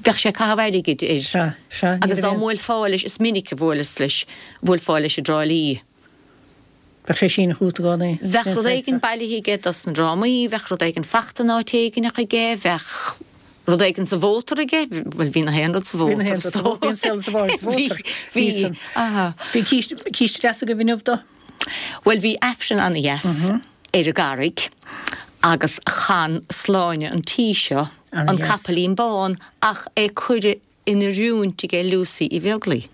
bheadh sé ag caitheamh airgid air.
Sea, sea, ní
Agus
raibh
dá
aon.
mbuailfeá leis, is minic a bhuaileas leis, bhuailfeá leis i dTrá Lí.
Bheadh sé síneadh chugat i gcónaí.
Bheadh
Sin
rud
saghas
éigin
de.
bailithe aige dos na drámaí, bheadh rud éigin fachta in áit éigineach aige, bheadh rud éigin sa mhótar aige, bhuel bhí na haon rud sa
Bhí na
mhótar,
haon rud sa mhótar, bhí an saol sa bhí sa
Bhí,
mhótar. Bhí
bhí,
san.
aha.
Bhí císte, císte deas agaibh inniu dó?
Bhuel bhí Aifreann ana-dheas ar an gCarraig agus chan Sláine an tí seo, an
Ana-dheas.
Capaillín Bán, ach é cuireadh in oiriúint aige Lucy Uí Bheaglaoi.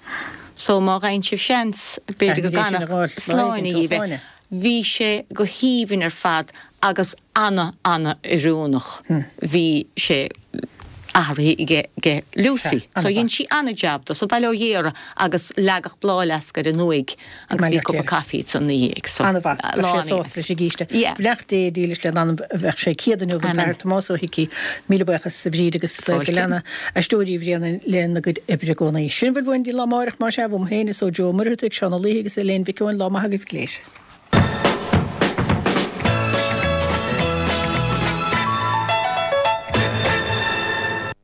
So má fhaigheann sibh seans, b'fhéidir go
Caithfimid é sin a
gcanfadh
fháil lá éigin
Sláine
ó
dhaoibh é.
Shláine.
Bhí sé go haoibhinn ar fad agus ana, ana oiriúnach. Bhí sé athraithe aige, aige Lucy.
Sea,
So
ana-mhaith.
dhein sí ana-jab dó, so bail ó Dhia uirthi agus leagadh bláthfhleasc ar an uaigh agus bhí
Maille
cupa
Dé.
caife san ina dhiaidh. So,
Ana-mhaith,
lá
bheadh sé
ana-dheas.
sásta leis an gcíste.
Yeah.
Beannacht Dé dílis lena anam, bheadh sé céad inniu an
Amen.
tAthair Tomás Ó hIcí. Míle buíochas a Bhríd agus go
Fáilte.
leana Aisteoirí Bhréanainn lena gcuid oibre i gcónaí. Sin a bhfuil uainn go dtí lá amárach mar sea, uaim féin is ó Joe Ó Muircheartaigh, Seán Ó Laoithe agus Elaine Mhic Eoin, lá maith agaibh go léir.